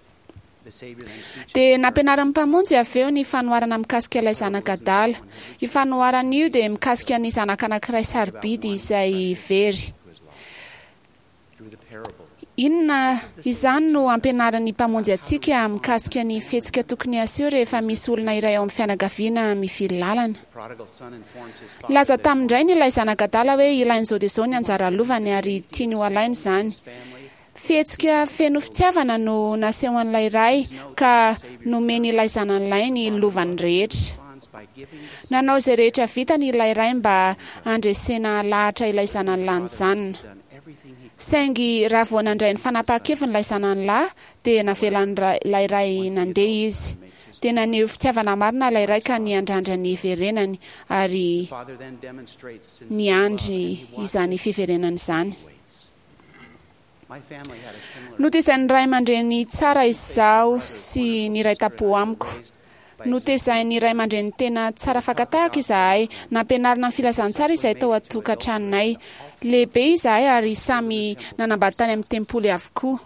Dia nampianarin'ny mpamonjy avy eo ny fanoharana mikasika ilay zanak'adala. Io fanoharana io dia mikasika ny zanaka anankiray sarobidy izay very. Inona izany no ampianarin'ny mpamonjy antsika mikasika ny fihetsika tokony haseho rehefa misy olona iray ao amin'ny fianakaviana mivily lalana? prodigal son informs his father Laza tamin-drainy ilay zanak'adala hoe ilain'izao dia izao ny anjara lovany ary tiany ho alaina izany. Fihetsika feno fitiavana no nasehon'ilay ray ka nomeny ilay zanany ny lovany rehetra. Nanao izay rehetra vitany ilay ray mba handresena lahatra ilay zanany lahy nijanona. Saingy raha vao nandray ny fanapahan-keviny ilay zanany lahy dia navelan'ilay ray nandeha izy. Dia naneho fitiavana marina ilay ray ka niandrandra ny fiverenany ary father then demonstrates sincere niandry izany fiverenana izany. My family had a similar Notezain'ny ray aman-dreny tsara izaho sy ny ray tampo amiko. Notezain'ny ray aman-dreny tena tsara fakan-tahaka izahay, nampianarina ny filazantsara izay tao an-tokantranonay. Lehibe izahay ary samy nanambady tany amin'ny tempoly avokoa.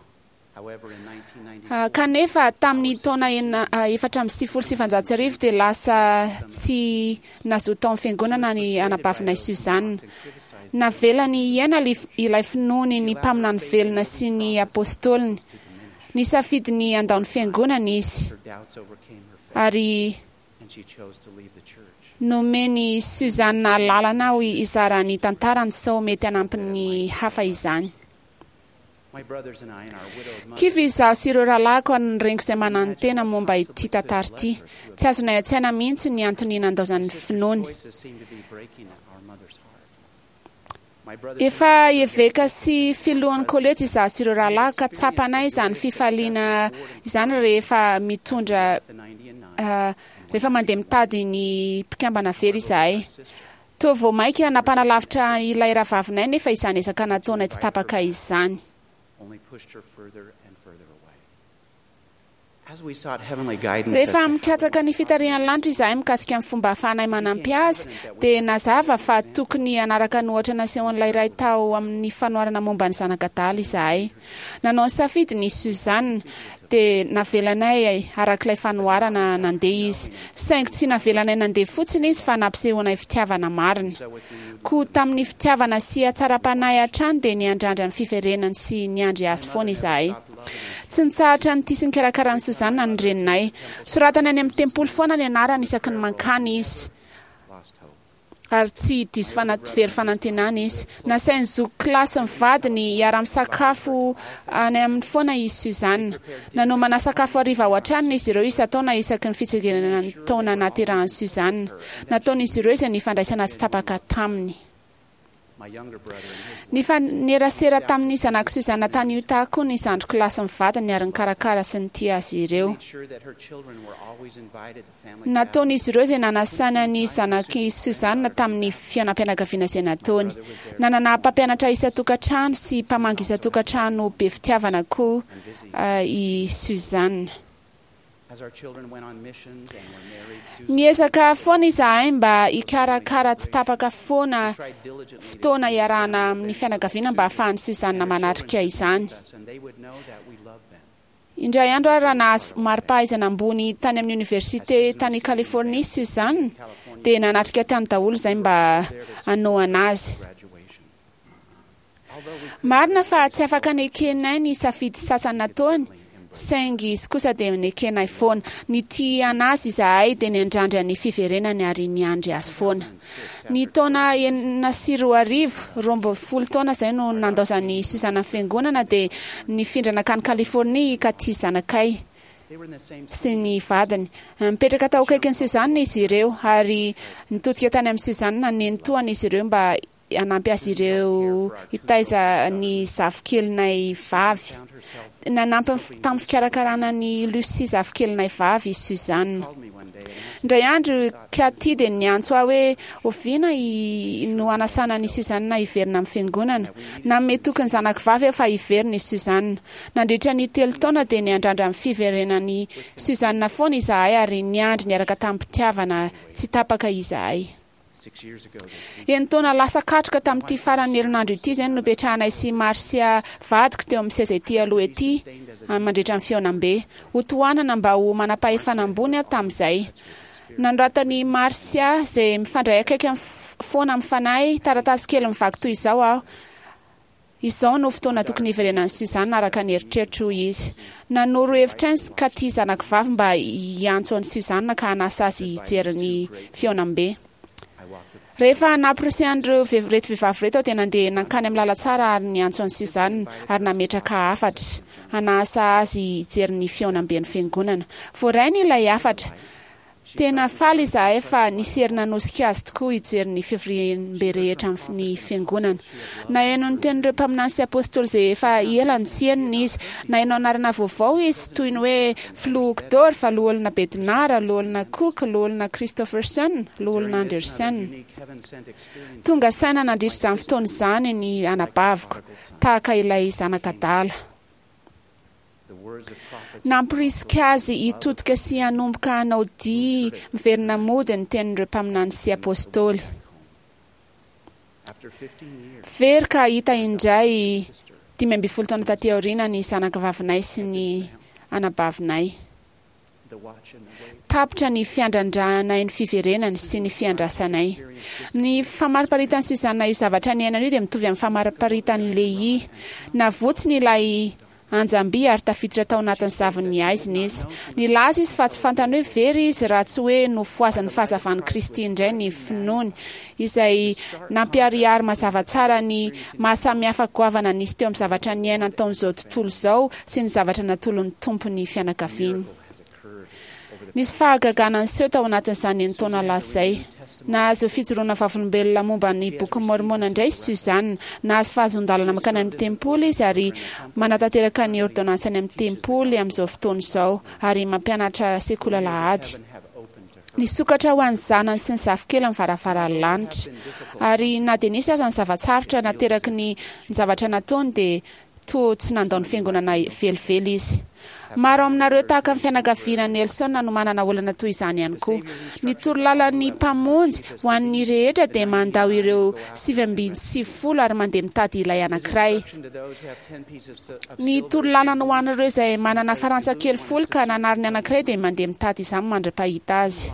However, in nineteen ninety Ah, Kanefa tamin'ny taona enina ah, efatra amby sivifolo sy sivanjato sy arivo dia lasa tsy nazoto tao amin'ny fiangonana ny anabavinay Suzanne. Navelany hiaina li- ilay finoany ny mpaminany velona sy ny apôstôliny. Nisafidy ny handao ny fiangonana izy her doubts overcame her faith, ary and she chose to leave the church. nomeny Suzanne lalana aho hizara ny tantarany sao mety hanampy ny hafa izany. My brothers and I and our widowed mother Kivy izaho sy ireo rahalahiko ary ny reniko izay mananontena momba ity tantara ity. Tsy azonay an-tsaina mihitsy ny antony nandaozan'ny finoany. choices seemed to be breaking our mother's heart. My brothers and Efa eveka sy filohan'ny kolejy izaho sy ireo rahalahy ka tsapanay izany fifaliana izany rehefa mitondra the ninety and nine ah, rehefa mandeha mitady ny mpikambana very izahay. Toa vao mainka nampanalavitra ilay rahavavinay nefa izany ezaka nataonay tsy tapaka izany. only pushed her further and further away. As we sought heavenly guidance as Rehefa to mikatsaka ny fitarihan'ny lanitra izahay mikasika ny fomba ahafahanay manampy azy dia nazava fa tokony hanaraka ny ohatra nasehon'ilay ray tao amin'ny fanoharana momba ny zanak'adala izahay. Nanao ny safidy ny Suzanne dia navelanay arak'ilay fanoharana nandeha izy. Saingy tsy navelanay nandeha fotsiny izy fa nampisehoanay fitiavana marina. Koa tamin'ny fitiavana sy hatsaram-panahy hatrany dia niandrandra ny fiverenany sy niandry azy foana izahay. Tsy nitsahatra ny tia sy nikarakara an'i Suzanne ny reninay. Soratany any amin'ny tempoly foana ny anarany isaky ny mankany izy. lost hope. Ary tsy diso fana- very fanantenana izy. Nasain'ny zoky kilasy ny vadiny hiara-misakafo any aminy foana i Suzanne. Nanomana sakafo hariva ao an-tranony izy ireo isan-taona isaky ny fitsingerenana ny taona nahaterahan'i Suzanne. Nataon'izy ireo izay nifandraisana tsy tapaka taminy. My younger brother and his Nifanerasera tamin'ny zanak'i Suzanne tany Utah koa ny zandriko lahy sy ny vadiny ary nikarakara sy nitia azy ireo. made sure that her children were always invited to family Nataon'izy ireo izay nanasana ny zanak'i Suzanne tamin'ny fiainam-pianakaviana izay nataony. Nanana mpampianatra isan-tokantrano sy mpamangy isan-tokantrano be fitiavana koa ah, i Suzanne. As our children went on missions and were married, Susan Niezaka foana izahay mba hikarakara tsy tapaka foana tried diligently to fotoana iarahana amin'ny fianakaviana mba hahafahan'i Suzanne manatrika izany. us, and they would know that we loved them. Indray andro ary raha nahazo mari-pahaizana ambony tany amin'ny oniversite tany Californie Suzanne Dia nanatrika tany daholo izay mba hanohana azy. Marina fa tsy afaka nekenay ny safidy sasany nataony, saingy izy kosa dia nekenay foana. Nitia anazy izahay dia niandrandra ny fiverenany ary niandry azy foana. Ny taona enina sy roa arivo, roa amby folo taona izay no nandaozan'i Suzanne ny fiangonana, dia nifindra nankany Californie i Katy zanakay sy ny vadiny. Nipetraka tao akaikin'i Suzanne izy ireo ary nitodika tany amin'i Suzanne nenitoany izy ireo mba hanampy azy ireo hitaiza ny zafikelinay vavy. Nanampy tamin'ny fikarakarana ny Lucy zafikelinay vavy i Suzanne. Indray andro Katy dia niantso ahy hoe oviana no hanasana an'i Suzanne hiverina amin'ny fiangonana. Nanome toky ny zanako vavy aho fa hiverina i Suzanne. Nandritra ny telo taona dia niandrandra ny fiverenan'i Suzanne foana izahay ary niandry niaraka tamim-pitiavana tsy tapaka izahay. Enin-taona lasa katroka tamin'ity faran'ny herinandro ity izay no nopetrahanay sy Marcia vadiko teo amin'ny seza ety aloha ety mandritra ny fihaonambe. Hotohanana mba ho manam-pahefana ambony aho tamin'izay. Nanoratan'i Marcia izay mifandray akaiky foana amin'ny fanahy taratasy kely mivaky toy izao aho. Izao no fotoana tokony hiverenan'i Suzanne araka ny eritreritro, hoy izy. Nanoro hevitra ahy Katy zanako vavy mba hiantso an'i Suzanne ka hanasa azy hijery ny fihaonambe. Rehefa namporisihan'ireo reto vehivavy ireto aho dia nandeha nankany amin'ny lalantsara ary niantso an'i Suzanne ary nametraka hafatra hanasa azy hijery ny fihaonamben'ny fiangonana. Voarainy ilay hafatra. Tena faly izahay fa nisy hery nanosika azy tokoa hijery ny fivoriambe rehetra amin'ny fiangonana. Naheno ny tenin'ireo mpaminany sy apôstôly izay efa ela no tsy henony izy. Naheno anarana vaovao izy toy ny hoe Filoha Uchtdorf, Loholona Bednar, Loholona Cook, Loholona Christofferson, Loholona Andersen. Tonga saina nandritra izany fotoana izany ny anabaviko, tahaka ilay zanak'adala. Namporisika azy hitodika sy hanomboka hanao dia miverina mody ny tenin'ireo mpaminany sy apôstôly. Very ka hita indray dimy ambin'ny folo taona taty aoriana ny zanakavavinay sy ny anabavinay. Tapitra ny fiandrandranay ny fiverenany sy ny fiandrasanay. Ny famariparitan'i Suzanne io zavatra niainana io dia mitovy amin'ny famariparitan'i Lehi. Navotsiny ilay anjamby ary tafiditra tao anatin'ny zavon'ny haizina izy. Nilaza izy fa tsy fantany hoe very izy raha tsy hoe nofohazan'ny fahazavan'i Kristy indray ny finoany, izay nampiharihary mazava tsara ny mahasamihafa goavana nisy teo amin'ny zavatra niainany tao amin'izao tontolo izao sy ny zavatra natolon'ny Tompo ny fianakaviany. Nisy fahagagana niseho tao anatin'izany enin-taona lasa izay. Nahazo fijoroana vavolombelona momba ny bokin'i Môrmôna indray i Suzanne. Nahazo fahazoan-dalana mankany amin'ny tempoly izy ary manatanteraka ny ôrdônansy any amin'ny tempoly amin'izao fotoana izao ary mampianatra sekoly alahady. Nisokatra ho an'ny zanany sy ny zafikely ny varavaran'ny lanitra. Ary na dia nisy aza ny zava-tsarotra nateraky ny zavatra nataony dia toa tsy nandao ny fiangonana velively izy. Maro aminareo tahaka ny fianakaviana Nelson no manana olana toy izany ihany koa. Ny torolalan'ny Mpamonjy ho an'ny rehetra dia mandao ireo sivy amby sivifolo ary mandeha mitady ilay anankiray. Ny torolalana ho an'ireo izay manana farantsa kely folo ka nanary ny anankiray dia mandeha mitady izany mandra-pahita azy.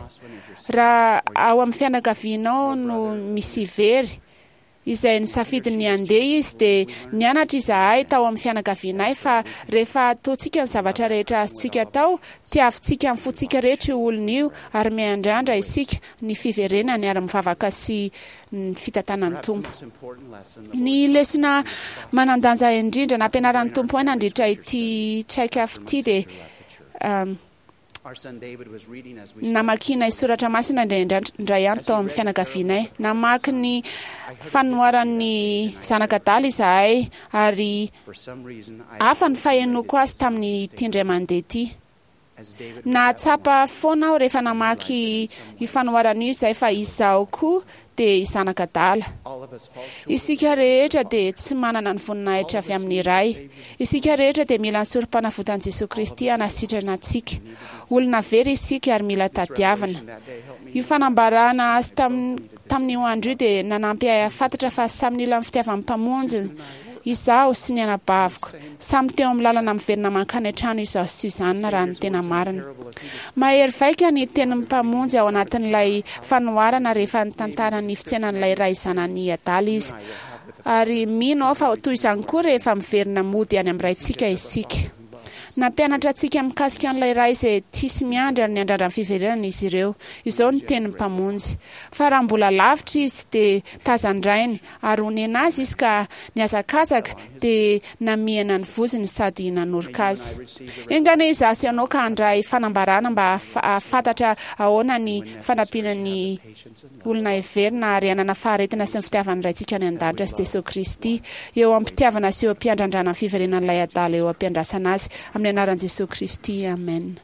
Raha ao amin'ny fianakavianao no misy very, izay nisafidy ny handeha izy, dia nianatra izahay tao amin'ny fianakavianay fa rehefa ataontsika ny zavatra rehetra azontsika atao, tiavintsika amin'ny fontsika rehetra io olona io ary miandrandra isika ny fiverenany ary mivavaka sy ny fitantanan'ny Tompo. Ny lesona manan-danja indrindra nampianaran'ny Tompo ahy nandritra ity traik'afo ity dia namakianay soratra masina indraindray andro tao amin'ny fianakavianay. Namaky ny fanoharan'ny zanak'adala izahay ary hafa ny fahenoko azy tamin'ity indray mandeha ity. Nahatsapa foana aho rehefa namaky io fanoharana io izay fa izaho koa dia zanak'adala. Isika rehetra dia tsy manana ny voninahitra avy amin'ny Ray. Isika rehetra dia mila ny sorom-panavotan'i Jesoa Kristy hanasitrana antsika. Olona very isika ary mila tadiavina. Io fanambarana azo tamin'io andro io dia nanampy ahy hahafantatra fa samy nila ny fitiavan'ny Mpamonjy Izaho sy ny anabaviko samy teo amin'ny lalana miverina mankany an-trano izaho sy Suzanne raha ny tena marina. Mahery vaika ny tenin'ny Mpamonjy ao anatin'ilay fanoharana rehefa nitantara ny fitsenan'ilay ray zanany adala izy. Ary mino aho fa toy izany koa rehefa miverina mody any amin'ny Raintsika isika. Nampianatra antsika mikasika an'ilay Ray izay tia sy miandry ary niandrandra ny fiverenana izy ireo. Izao ny tenin'ny Mpamonjy. Fa raha mbola lavitra izy dia tazan-drainy, ary onena azy izy ka nihazakazaka dia namihana ny vozony sady nanoroka azy. Enga anie izaho sy ianao ka handray fanambarana mba hahafantatra ahoana ny fanampiana ny olona heverina ary hanana faharetana sy ny fitiavan'ny Raintsika any An-danitra sy Jesoa Kristy eo am-pitiavana sy eo am-piandrandrana ny fiverenan'ilay adala eo am-piandrasana azy. Amin'ny anaran'i Jesoa Kristy, amen.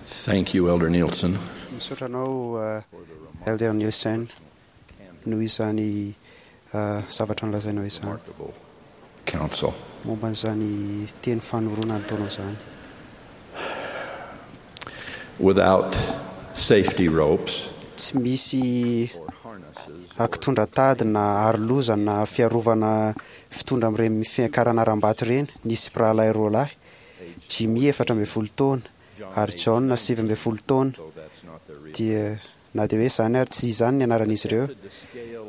Thank you, Elder Nielsen. Misaotra anao, Elder Nielsen, noho izany zavatra nolazainao izany. Council. Momba an'izany teny fanorona nataonao izany. Without safety ropes. Tsy misy akitondra tady na aroloza na fiarovana fitondra amin'ireny fiakarana harambato ireny. Nisy mpirahalahy roa lahy, Jimmy efatra ambin'ny folo taona ary John sivy ambin'ny folo taona, dia na dia hoe izany ary tsy izany ny anaran'izy ireo,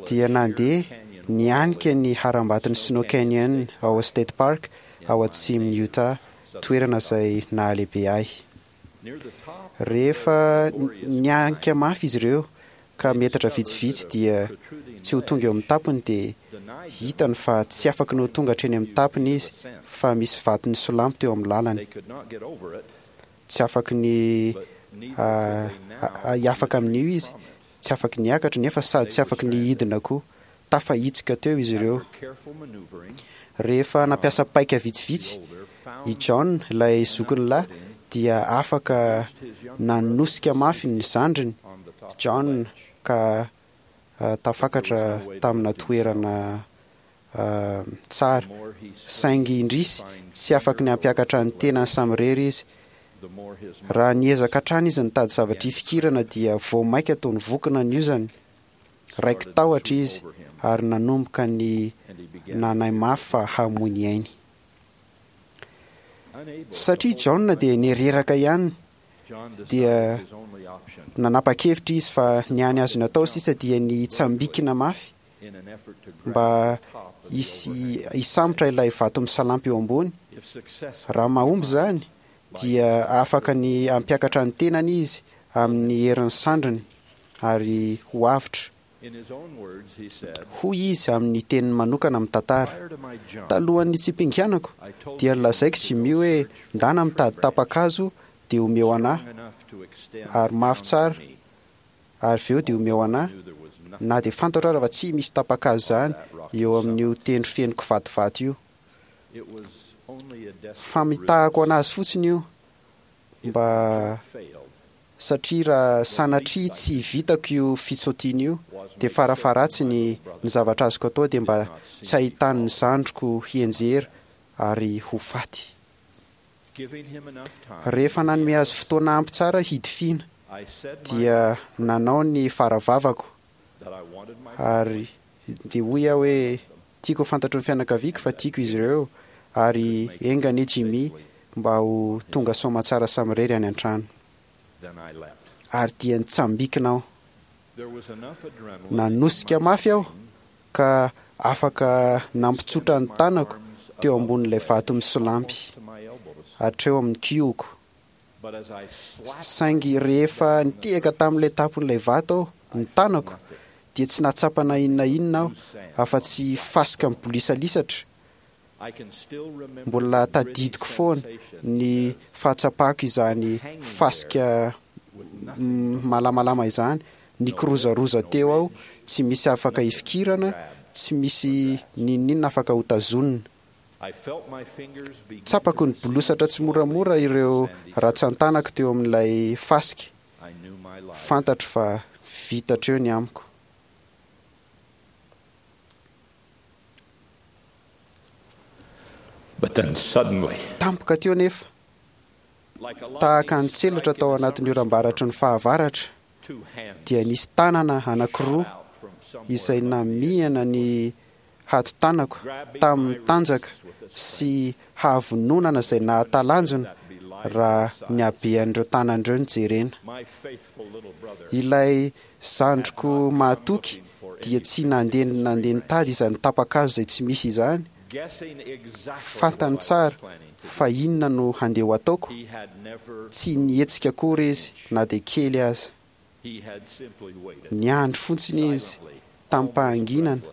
dia nandeha nianika ny harambaton'ny Snow Canyon ao State Park ao atsimon'i Utah, toerana izay nahalehibe ahy. Rehefa nianika mafy izy ireo ka metatra vitsivitsy dia tsy ho tonga eo amin'ny tampony dia hitany fa tsy afaky ny ho tonga hatreny amin'ny tampony izy fa misy vato nisolampy teo amin'ny lalany. Tsy afaky ny hiafaka amin'io izy, tsy afaky niakatra nefa sady tsy afaky ny hidina koa. Tafahitsoka teo izy ireo. Rehefa nampiasa paika vitsivitsy, i John, ilay zokiny lahy, dia afaka nanosika mafy ny zandriny, John, ka tafakatra tamina toerana tsara. Saingy indrisy, tsy afaky ny hampiakatra ny tenany samirery izy. Raha niezaka hatrany izy nitady zavatra hifikirana dia vao mainka toa nivokona ny ozany. Raiki-tahotra izy ary nanomboka ny nanahy mafy fa hamoy ny ainy. Satria John dia nireraka ihany dia nanapa-kevitra izy fa ny hany azony atao sisa dia ny hitsambikina mafy mba hisy hisambotra ilay vato misalampy eo ambony. Raha mahomby izany dia afaka ny hampiakatra ny tenany izy amin'ny herin'ny sandriny ary ho avotra. Hoy izy amin'ny teniny manokana amin'ny tantara, Talohan'ny nitsipinganako dia nolazaiko Jimmy hoe ndana mitady tapa-kazo dia omeo anà ary mafy tsara ary avy eo dia omeo anà, na dia fantatro ara fa tsy misy tapa-kazo izany eo amin'io tendro feno kivatovato io. Famitahako anazy fotsiny io mba satria raha sanatria tsy vitako io fisaotiana io dia farafaharatsiny ny zavatra azoko atao dia mba tsy ahitany ny zandriko hianjera ary ho faty. Rehefa nanome azy fotoana ampy tsara hidifiana dia nanao ny faravavako ary dia hoy aho hoe tiako ho fantatry ny fianakaviako fa tiako izy ireo ary enga anie Jimmy mba ho tonga soamantsara samirery any an-trano. Ary dia nitsambikina aho. Nanosika mafy aho ka afaka nampitsotra ny tanako teo ambonin'ilay vato misolampy hatreo amin'ny kihoko. Saingy rehefa nitehaka tamin'ilay tampon'ilay vato aho, ny tanako, dia tsy nahatsapa na inona inona aho afa-tsy fasika mibolisalisatra. Mbola tadidiko foana ny fahatsapako izany fasika malamalama izany, nikirozaroza teo aho, tsy misy afaka hifikirana, tsy misy n'inon'inona afaka hotazonina. Tsapako nibolosatra tsimoramora ireo ratsan-tanako teo amin'ilay fasika. Fantatro fa vita hatreo ny amiko. But then suddenly, Tampoka teo nefa, Tahaka ny tselatra tao anatin'ny oram-baratry ny fahavaratra, dia nisy tanana anankiroa izay namihana ny hatotanako tamin'ny tanjaka sy havononana izay nahatalanjona raha ny habean'ireo tanan'ireo no jerena. Ilay zandriko mahatoky dia tsy nandeha nandeha nitady izany tapa-kazo izay tsy misy izany. Fantany tsara fa inona no handeha ho ataoko. Tsy nihetsika akory izy na dia kely aza. Niandry fotsiny izy tamim-pahanginana.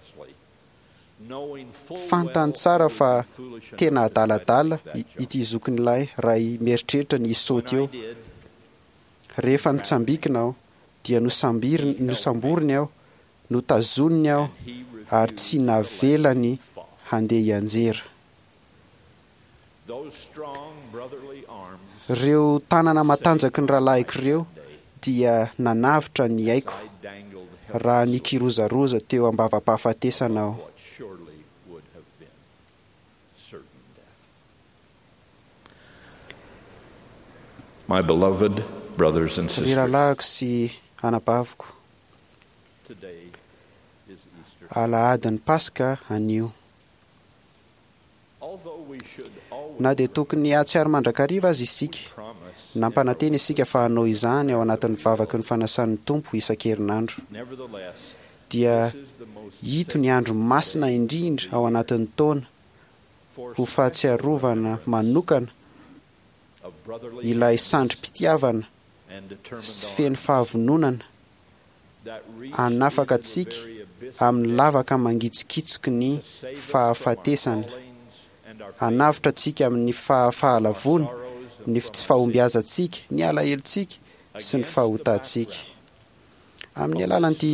Fantany tsara fa tena adaladala ity zokin'ilay raha mieritreritra ny hisaoty eo. Rehefa nitsambikina aho dia nosamboriny aho, notazoniny aho ary tsy navelany handeha hianjera. Ireo tanana matanjaky ny rahalahiko ireo dia nanavotra ny aiko raha nikirozaroza teo am-bava-pahafatesana aho. My beloved brothers and Ry sisters, rahalahiko sy anabaviko, alahadin'ny Paska anio. Na dia tokony hahatsiaro mandrakariva aza isika, nampanantena isika fa hanao izany ao anatin'ny vavaky ny fanasan'ny Tompo isan-kerinandro, dia ito ny andro masina indrindra ao anatin'ny taona ho fahatsiarovana manokana ilay sandrim-pitiavana sy feno fahavononana hanafaka antsika amin'ny lavaka mangitsokitsoky ny fahafatesana, hanavotra antsika amin'ny fahafahalavoana, ny tsy fahombiazantsika, ny alahelontsika sy ny fahotantsika. Amin'ny alalan'ity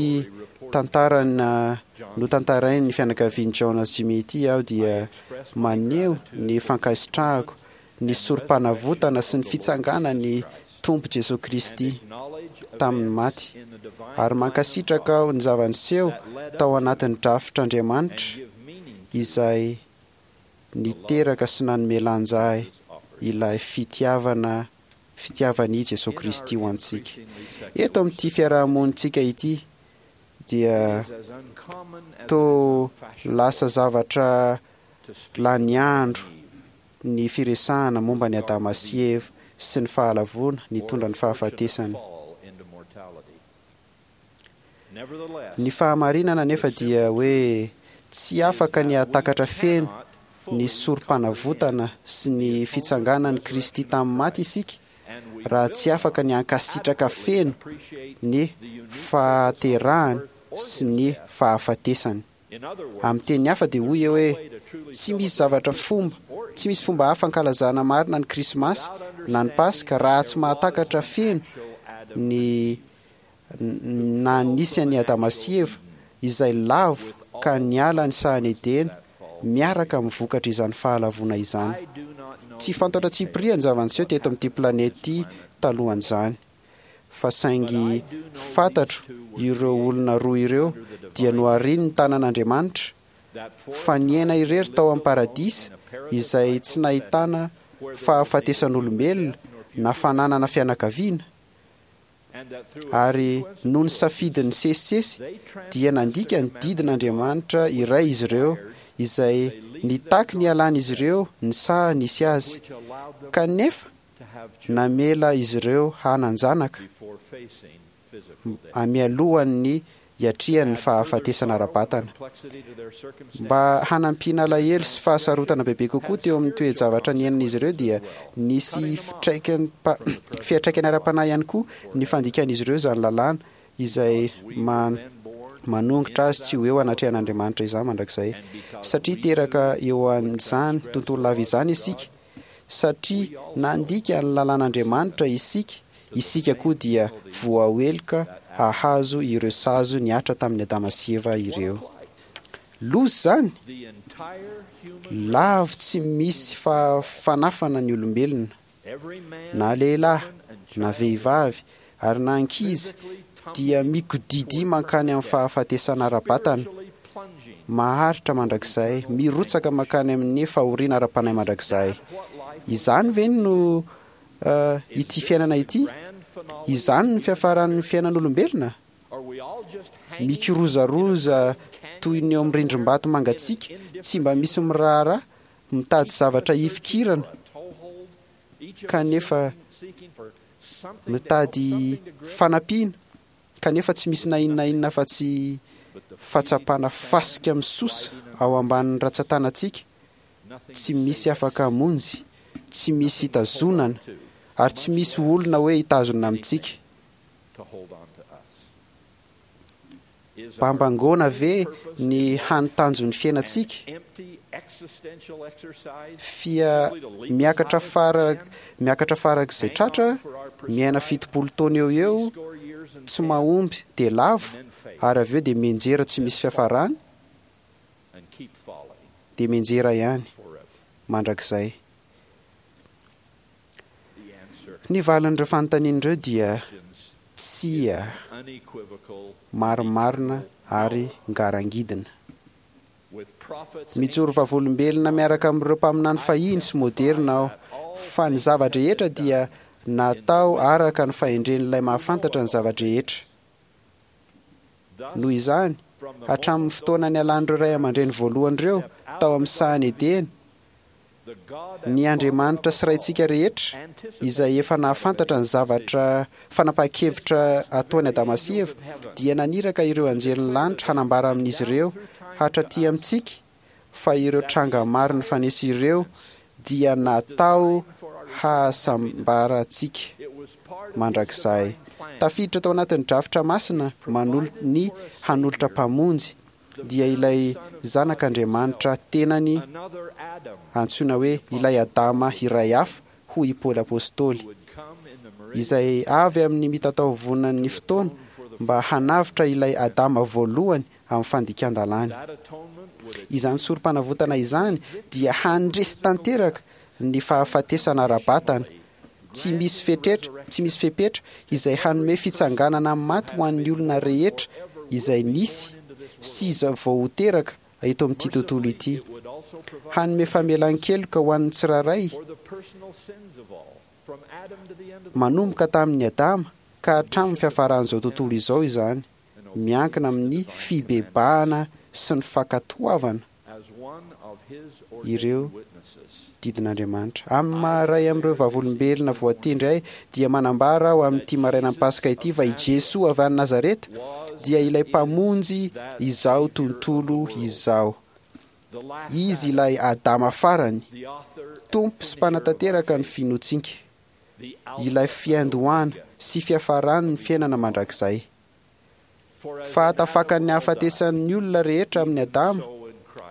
tantarana notantarain'ny fianakavian'i John sy Jimmy ity aho dia maneho ny fankasitrahako ny sorom-panavotana sy ny fitsanganan'ny Tompo Jesoa Kristy tamin'ny maty, ary mankasitraka aho ny zava-niseho tao anatin'ny drafitr'Andriamanitra izay niteraka sy nanome lanja ahy ilay fitiavana fitiavan'i Jesoa Kristy ho antsika. Eto amin'ity fiarahamonintsika ity dia to lasa zavatra lany andro ny firesahana momba ny Adama sy Eva sy ny fahalavoana nitondra ny fahafatesana. Ny fahamarinana nefa dia hoe tsy afaka ny hahatakatra feno ny sorom-panavotana sy ny fitsanganan'i Kristy tamin'ny maty isika raha tsy afaka ny hankasitraka feno ny fahaterahany sy ny fahafatesany. Amin'ny teny hafa dia hoy hoe tsy misy zavatra fomba, tsy misy fomba hafa ankalazana marina ny Krismasy na ny Paska raha tsy mahatakatra feno ny na nisy an'i Adama sy Eva izay lavo ka niala ny sahan'i Edena miaraka amin'ny vokatra izany fahalavoana izany. Tsy fantatra tsipiriany ny zava-niseho teto amin'ity planeta ity talohan'izany, fa saingy fantatro ireo olona roa ireo dia nohariny ny tanan'Andriamanitra fa niaina irery tao amin'ny paradisa izay tsy nahitana fahafatesan'olombelona na fananana fianakaviana, ary noho ny safidin'ny sesisesy dia nandika ny didin'Andriamanitra iray izy ireo izay nitaky ny hialan'izy ireo ny saha nisy azy, kanefa namela izy ireo hanan-janaka mialohan'ny hiatrihan'ny fahafatesana ara-batana. Mba hanampiana alahelo sy fahasarotana bebe kokoa teo amin'ny toe-javatra niainan'izy ireo dia nisy fiantraikany ara-panahy ihany koa ny fandikan'izy ireo izany lalàna izay manongotra azy tsy ho eo anatrehan'Andriamanitra izany mandrakizay, satria teraka eo amin'izany tontolo lava izany isika, satria nandika ny lalàn'Andriamanitra isika, isika koa dia voaheloka hahazo ireo sazy nihatra tamin'ny Adama sy Eva ireo. Loza izany! Lavo tsy misy fanafana ny olombelona, na lehilahy, na vehivavy, ary na ankizy dia mikodidy mankany amin'ny fahafatesana ara-batana maharitra mandrakizay, mirotsaka mankany amin'ny fahoriana ara-panahy mandrakizay. Izany ve no ity fiainana ity? Izany ny fiafaran'ny fiainan'olombelona? Mikirozaroza toy ny eo amin'ny rindrim-bato mangatsiaka, tsy mba misy miraharaha, mitady zavatra hifikirana, kanefa mitady fanampiana, kanefa tsy misy na inona na inona afa-tsy fahatsapana fasika misosa ao ambanin'ny ratsan-tanantsika, tsy misy afaka hamonjy, tsy misy hitazonana, ary tsy misy olona hoe hitazona amintsika. Bambangoana ve ny hany tanjon'ny fiainantsika? Fia miakatra fara miakatra farak'izay tratra, miaina fitopolo taona eo eo, tsy mahomby dia lavo, ary avy eo dia mianjera tsy misy fiafarany, dia mianjera ihany mandrakizay. Ny valin'ireo fanontaniana ireo dia tsia, marimarina ary ngarangidina. Mijoro vavolombelona miaraka amin'ireo mpaminany fahiny sy moderina aho, fa ny zava-drehetra dia natao araka ny fahendren'ilay mahafantatra ny zava-drehetra. Noho izany, hatramin'ny fotoana nialan'ireo ray aman-dreny voalohany ireo tao amin'ny sahan'i Edena, ny Andriamanitra sy Raintsika rehetra izay efa nahafantatra ny zavatra fanapahan-kevitra ataony Adama sy Eva dia naniraka ireo anjelin'ny lanitra hanambara amin'izy ireo hatraty amintsika fa ireo tranga maro nifanesy ireo dia natao hahasambarantsika mandrakizay. Tafiditra tao anatin'ny drafitra masina manolo ny hanolotra mpamonjy dia ilay zanak'Andriamanitra tenany antsoina hoe ilay Adama iray hafa, hoy i Paoly Apostoly, izay avy amin'ny mitataovonan'ny fotoana mba hanavotra ilay Adama voalohany amin'ny fandikan-dalàny. Izany sorom-panavotana izany dia handresy tanteraka ny fahafatesana ara-batana, tsy misy fetretra, tsy misy fepetra izay hanome fitsanganana amin'ny maty ho an'ny olona rehetra izay nisy sy izay vao ho teraka eto amin'ity tontolo ity. Hanome famelan-keloka ho an'ny tsirairay manomboka tamin'ny Adama ka hatramin'ny fiafaran'izao tontolo izao izany, miankina amin'ny fibebahana sy ny fankatoavana ireo didin'Andriamanitra. Amin'ny maha-iray amin'ireo vavolombelona voatendry ahy dia manambara aho amin'ity marainan'ny Paska ity fa i Jesoa avy any Nazareta dia ilay mpamonjy izao tontolo izao. Izy ilay Adama farany, Tompo sy mpanatanteraka ny finoantsika, ilay fiandohana sy fiafaran'ny fiainana mandrakizay. Fahatafakan'ny hahafatesan'ny olona rehetra amin'ny Adama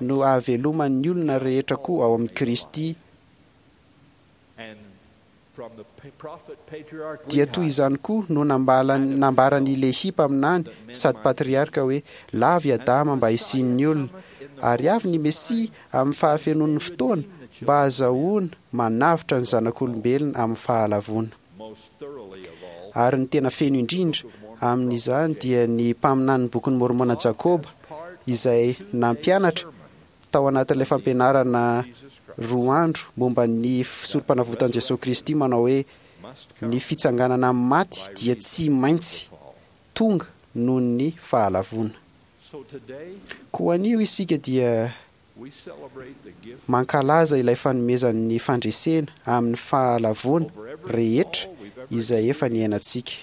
no ahaveloman'ny olona rehetra koa ao amin'i Kristy. Dia toy izany koa no nambaran'i Lehi mpaminany sady patriarka hoe lavo i Adama mba hisian'ny olona, ary avy ny Mesia amin'ny fahafenoan'ny fotoana mba hahazahoana manavotra ny zanak'olombelona amin'ny fahalavoana. Ary ny tena feno indrindra amin'izany dia ny mpaminanin'ny bokin'i Môrmôna Jakoba izay nampianatra tao anatin'ilay fampianarana roa andro momba ny sorom-panavotan'i Jesoa Kristy manao hoe ny fitsanganana amin'ny maty dia tsy maintsy tonga noho ny fahalavoana. Koa anio isika dia mankalaza ilay fanomezan'ny fandresena amin'ny fahalavoana rehetra izay efa niainantsika.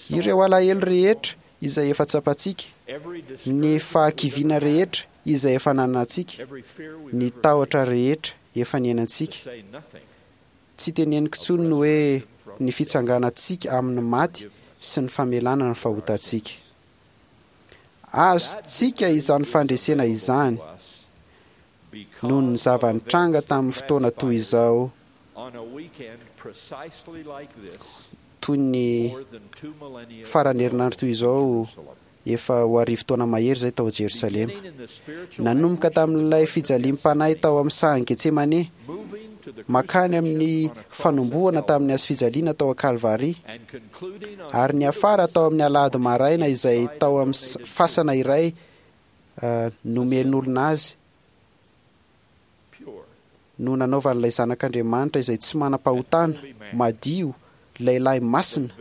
Ireo alahelo rehetra izay efa tsapantsika, ny fahakiviana rehetra izay efa nanantsika, ny tahotra rehetra efa niainantsika. Tsy teneniko intsony ny hoe ny fitsanganantsika amin'ny maty sy ny famelana ny fahotantsika. Azontsika izany fandresena izany noho ny zava-nitranga tamin'ny fotoana toy izao, toy ny faran'ny herinandro toy izao efa ho arivo taona mahery izay tao Jerosalema. Nanomboka tamin'ilay fijaliam-panahy tao amin'ny sahan'i Getsemane, makany amin'ny fanombohana tamin'ny hazo fijaliana tao Kalvary, ary niafara tao amin'ny alahady maraina izay tao amin'ny fasana iray nomen'olona azy no nanaovan'ilay Zanak'Andriamanitra izay tsy manam-pahotana, madio, lehilahy masina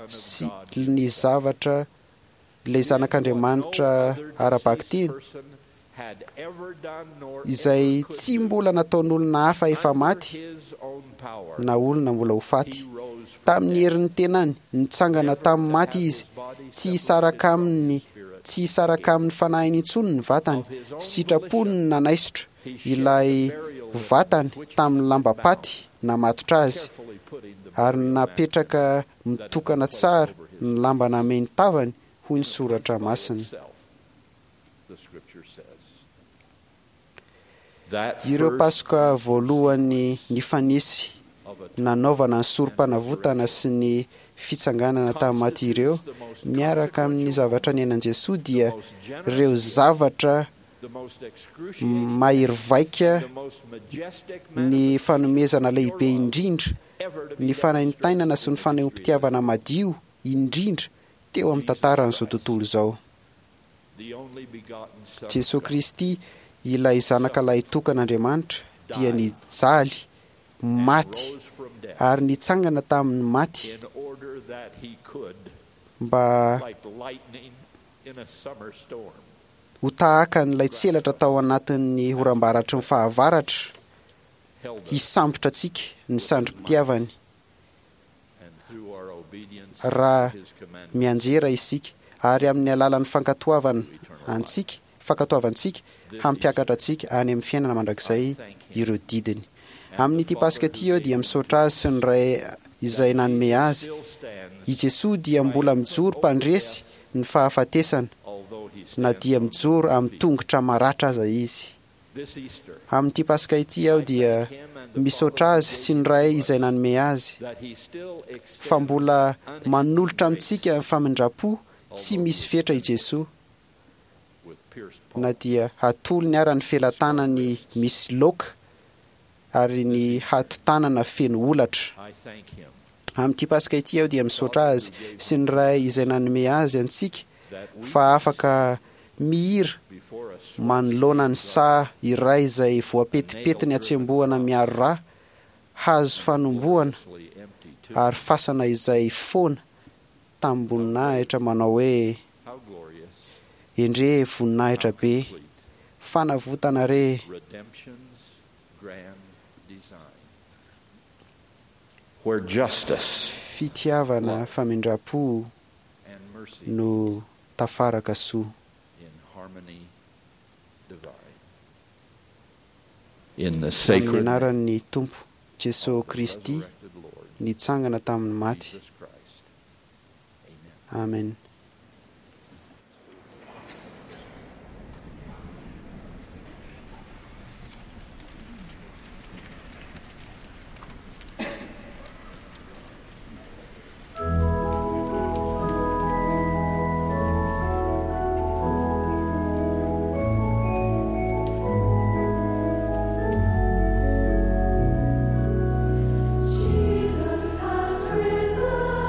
sy ny zavatra ilay Zanak'Andriamanitra ara-bakiteny izay tsy mbola nataon'olona hafa efa maty na olona mbola ho faty. Tamin'ny herin'ny tenany, nitsangana tamin'ny maty izy, tsy hisaraka aminy, tsy hisaraka amin'ny fanahiny intsony ny vatany, sitrapony ny nanaisotra ilay vatany tamin'ny lambam-paty namatotra azy, ary napetraka mitokana tsara ny lamba namehy ny tavany, hoy ny soratra masina. Ireo Paska voalohany nifanesy nanaovana ny sorom-panavotana sy ny fitsanganana tamin'ny maty ireo, miaraka amin'ny zavatra niainan'i Jesoa, dia ireo zavatra mahery vaika, ny fanomezana lehibe indrindra, ny fanaintainana sy ny fanehoam-pitiavana madio indrindra teo amin'ny tantaran'izao tontolo izao. Jesoa Kristy, ilay zanaka lahitokan'Andriamanitra, dia nijaly, maty ary nitsangana tamin'ny maty mba ho tahaka an'ilay tselatra tao anatin'ny oram-baratry ny fahavaratra, hisambotra antsika ny sandrim-pitiavany raha mianjera isika, ary amin'ny alalan'ny fankatoavana antsika, fankatoavantsika hampiakatra antsika any amin'ny fiainana mandrakizay ireo didiny. Amin'ity Paska ity aho dia misaotra azy sy ny Ray izay nanome azy. I Jesoa dia mbola mijoro mpandresy ny fahafatesana, na dia mijoro amin'ny tongotra maratra aza izy. Amin'ity Paska ity aho dia misaotra azy sy ny Ray izay nanome azy, fa mbola manolotra amintsika ny famindram-po tsy misy fetra i Jesoa, na dia hatolony ara ny felatanany misy loaka ary ny hatotanana feno holatra. Amin'ity Paska ity aho dia misaotra azy sy ny Ray izay nanome azy antsika, fa afaka mihira manoloana ny saha iray izay voapetipetiny hatsembohana miaro rà, hazo fanombohana ary fasana izay foana tamim-boninahitra manao hoe: Endrey voninahitra be, fanavotana re! Fitiavana famindram-po no tafaraka soa. Amin'ny anaran'ny Tompo Jesoa Kristy nitsangana tamin'ny maty. Amen. Jesus has risen,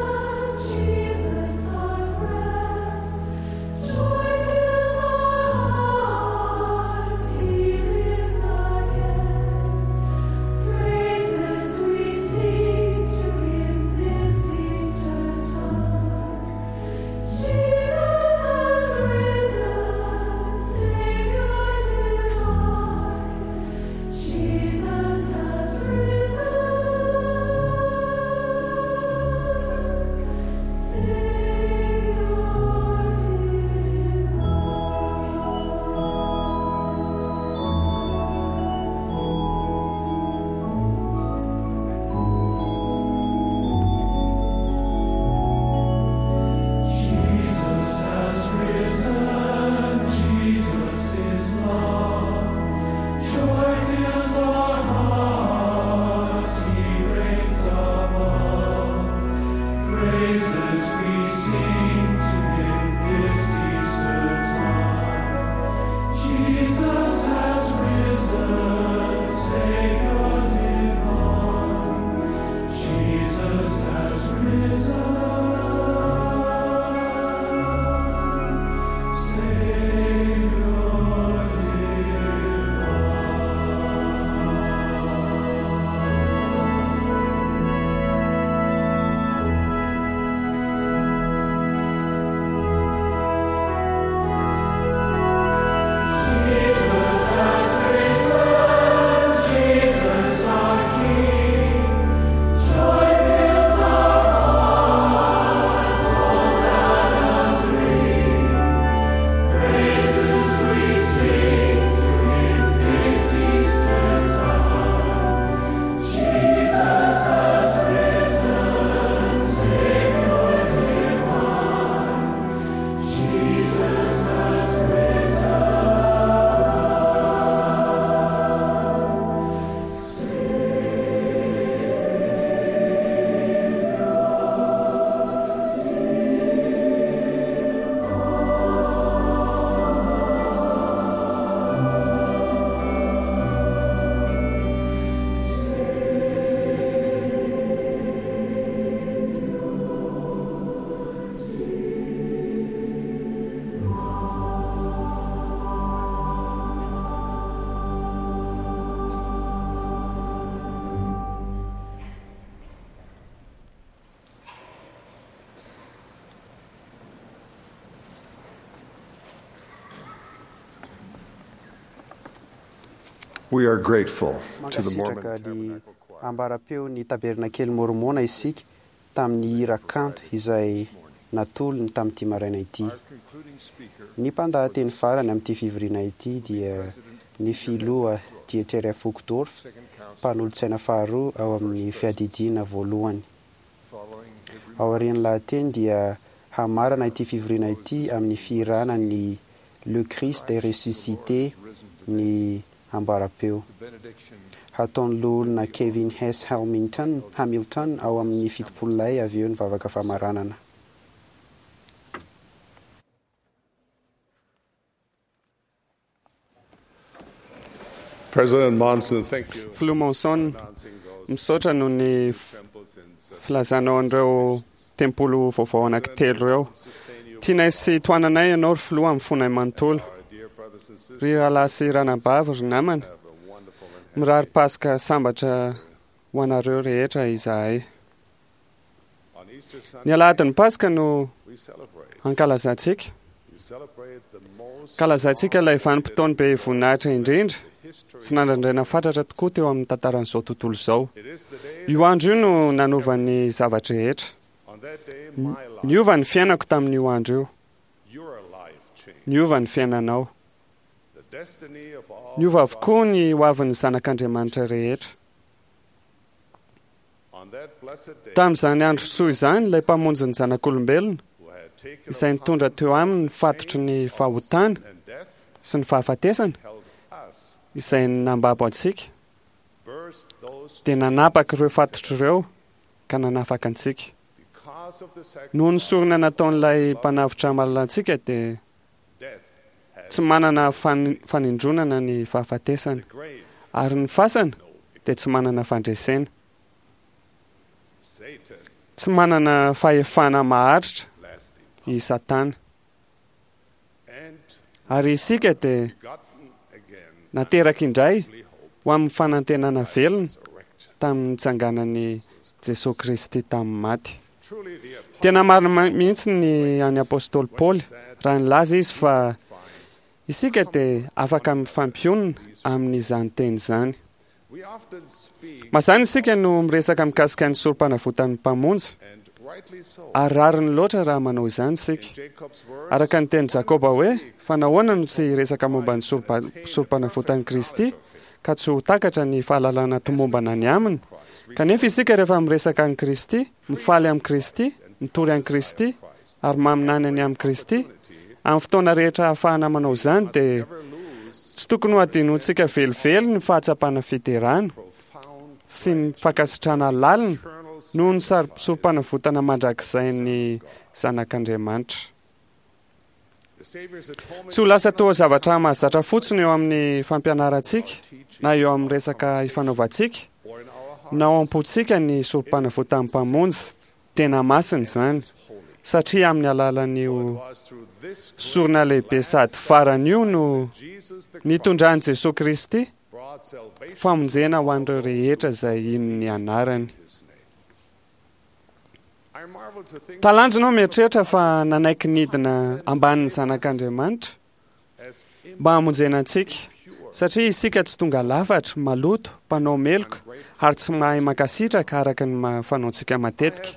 Jesus our friend. Joy fills our hearts, He lives again. Praises we sing to Him this Easter time. Jesus has risen, Savior divine. Jesus has risen, Savior Jesus has risen, Jesus is love. Joy fills our hearts, He reigns above. Praises we sing to Him this Easter time. Jesus has risen, Savior divine. Jesus has risen, Savior divine. We are grateful to the Mormon Mankasitraka ny ambarapeo ny tabernakely mormona isika tamin'ny hira kanto izay natolony tamin'ity maraina ity. Ny mpandahateny farany amin'ity fivoriana ity dia ny filoha Dieter F. Uchtdorf, mpanolotsaina faharoa ao amin'ny fiadidiana voalohany. Aorian'ny lahateny dia hamarana ity fivoriana ity amin'ny fihirana ny Le Christ est ressuscité ny ambarapeo. Hataon'ny loholona Kevin S. Hamilton, Hamilton ao amin'ny fitopolo lahy avy eo ny vavaka famaranana. President Monson, thank you. Filoha Monson, misaotra noho ny f- filazanao an'ireo tempoly vaovao anankitelo ireo. Tianay sy tohananay ianao ry filoha amin'ny fonay manontolo. Ry rahalahy sy ranabavy, ry namana, mirary Paska sambatra ho anareo rehetra izahay. Ny alahadin'ny Paska no ankalazantsika. Ankalazantsika ilay vanim-potoana be voninahitra indrindra sy nandrandraina fatratra tokoa teo amin'ny tantaran'izao tontolo izao. Io andro io no nanova ny zava-drehetra. Niova ny fiainako tamin'io andro io. Niova ny fiainanao. Niova avokoa ny hoavin'ny zanak'Andriamanitra rehetra. Tamin'izany andro soa izany, ilay mpamonjy ny zanak'olombelona, izay nitondra teo aminy ny fatotry ny fahotana sy ny fahafatesana, izay nambabo antsika, dia nanapaka ireo fatotry ireo ka nanafaka antsika. Noho ny sorona nataon'ilay mpanavotra malala antsika dia tsy manana fan- fanindronana ny fahafatesana, ary ny fasana dia tsy manana fandresena. Tsy manana fahefana maharitra i Satana. Ary isika dia nateraka indray ho amin'ny fanantenana velona tamin'ny nitsanganan'i Jesosy Kristy tamin'ny maty. Tena marina ma- mihitsy ny an'ny apostoly Paoly raha nilaza izy fa isika dia afaka mifampionona amin'izany teny izany. Mazàna isika no miresaka mikasika ny sorom-panavotan'ny mpamonjy, ary rariny loatra raha manao izany isika. Araka ny tenin'i Jakoba hoe, fa nahoana no tsy hiresaka momba ny sorompa- sorom-panavotan'i Kristy ka tsy ho takatra ny fahalalana tomombana ny aminy? Kanefa isika rehefa miresaka an'i Kristy, mifaly amin'i Kristy, mitory an'i Kristy, ary maminany ny amin'i Kristy, amin'ny fotoana rehetra ahafahana manao izany dia tsy tokony ho adinontsika velively ny fahatsapana fiderana sy ny fankasitrahana lalina noho ny sar- sorom-panavotana mandrakizay zanak'Andriamanitra. Tsy ho lasa toa zavatra mahazatra fotsiny eo amin'ny fampianarantsika na eo amin'ny resaka ifanaovantsika na ao am-pontsika ny sorom-panavotan'ny mpamonjy tena masina izany, satria amin'ny alalan'io sorona lehibe sady farany io no nitondran'i Jesosy Kristy famonjena ho an'ireo rehetra izay hino ny anarany. Talanjona aho mieritreritra fa nanaiky nidina ambanin'ny zanak'Andriamanitra mba hamonjena antsika, satria isika tsy tonga lafatra, maloto, mpanao meloka ary tsy mahay mankasitraka araka ny ma- fanaontsika matetika.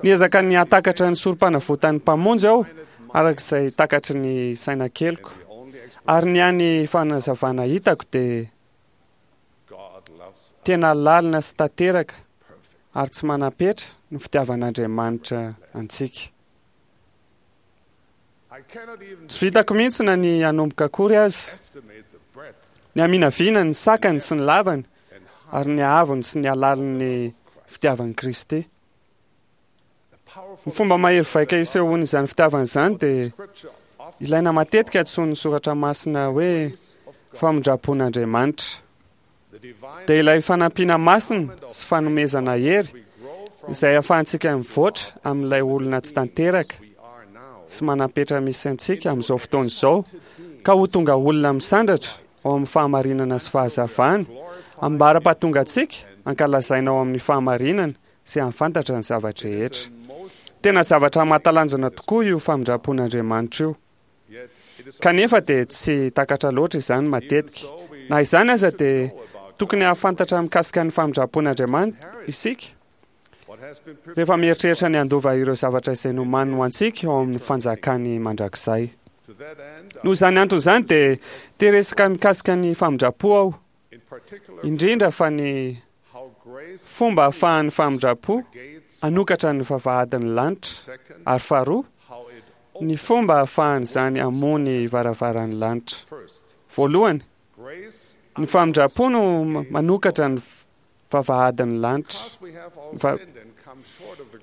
Niezaka ny hahatakatra ny sorom-panavotan'ny mpamonjy aho araka izay takatry ny saina keliko, ary ny hany fanazavana hitako dia tena lalina sy tanteraka ary tsy manam-petra ny fitiavan'Andriamanitra antsika. Tsy vitako mihitsy na ny hanomboka akory aza, ny haminaviana ny sakany sy ny lavany ary ny haavony sy ny halalin'ny fitiavan'i Kristy. Ny fomba mahery vaika isehoan'izany fitiavana izany dia ilaina matetika antsoin'ny soratra masina hoe famindram-pon'Andriamanitra. Dia ilay fanampiana masina sy fanomezana hery izay ahafahantsika mivoatra amin'ilay olona tsy tanteraka sy manam-petra misy antsika amin'izao fotoana izao ka ho tonga olona misandratra ao amin'ny fahamarinana sy fahazavana ambara-pahatonga antsika ankalazaina ao amin'ny fahamarinana sy hahafantatra ny zava-drehetra. Tena zavatra mahatalanjona tokoa io famindram-pon'Andriamanitra io. Kanefa dia tsy takatra loatra izany matetika. Na izany aza dia tokony hahafantatra mikasika ny famindram-pon'Andriamanitra isika rehefa mieritreritra ny handova ireo zavatra izay nomaniny ho antsika ao amin'ny fanjakany mandrakizay. Noho izany antony izany dia te hiresaka mikasika ny famindram-po aho, indrindra fa ny fomba ahafahan'ny famindram-po hanokatra ny vavahadin'ny lanitra, ary faharoa, ny fomba ahafahan'izany hamoha ny varavaran'ny lanitra. Voalohany, ny famindram-po no manokatra ny vavahadin'ny lanitra. Va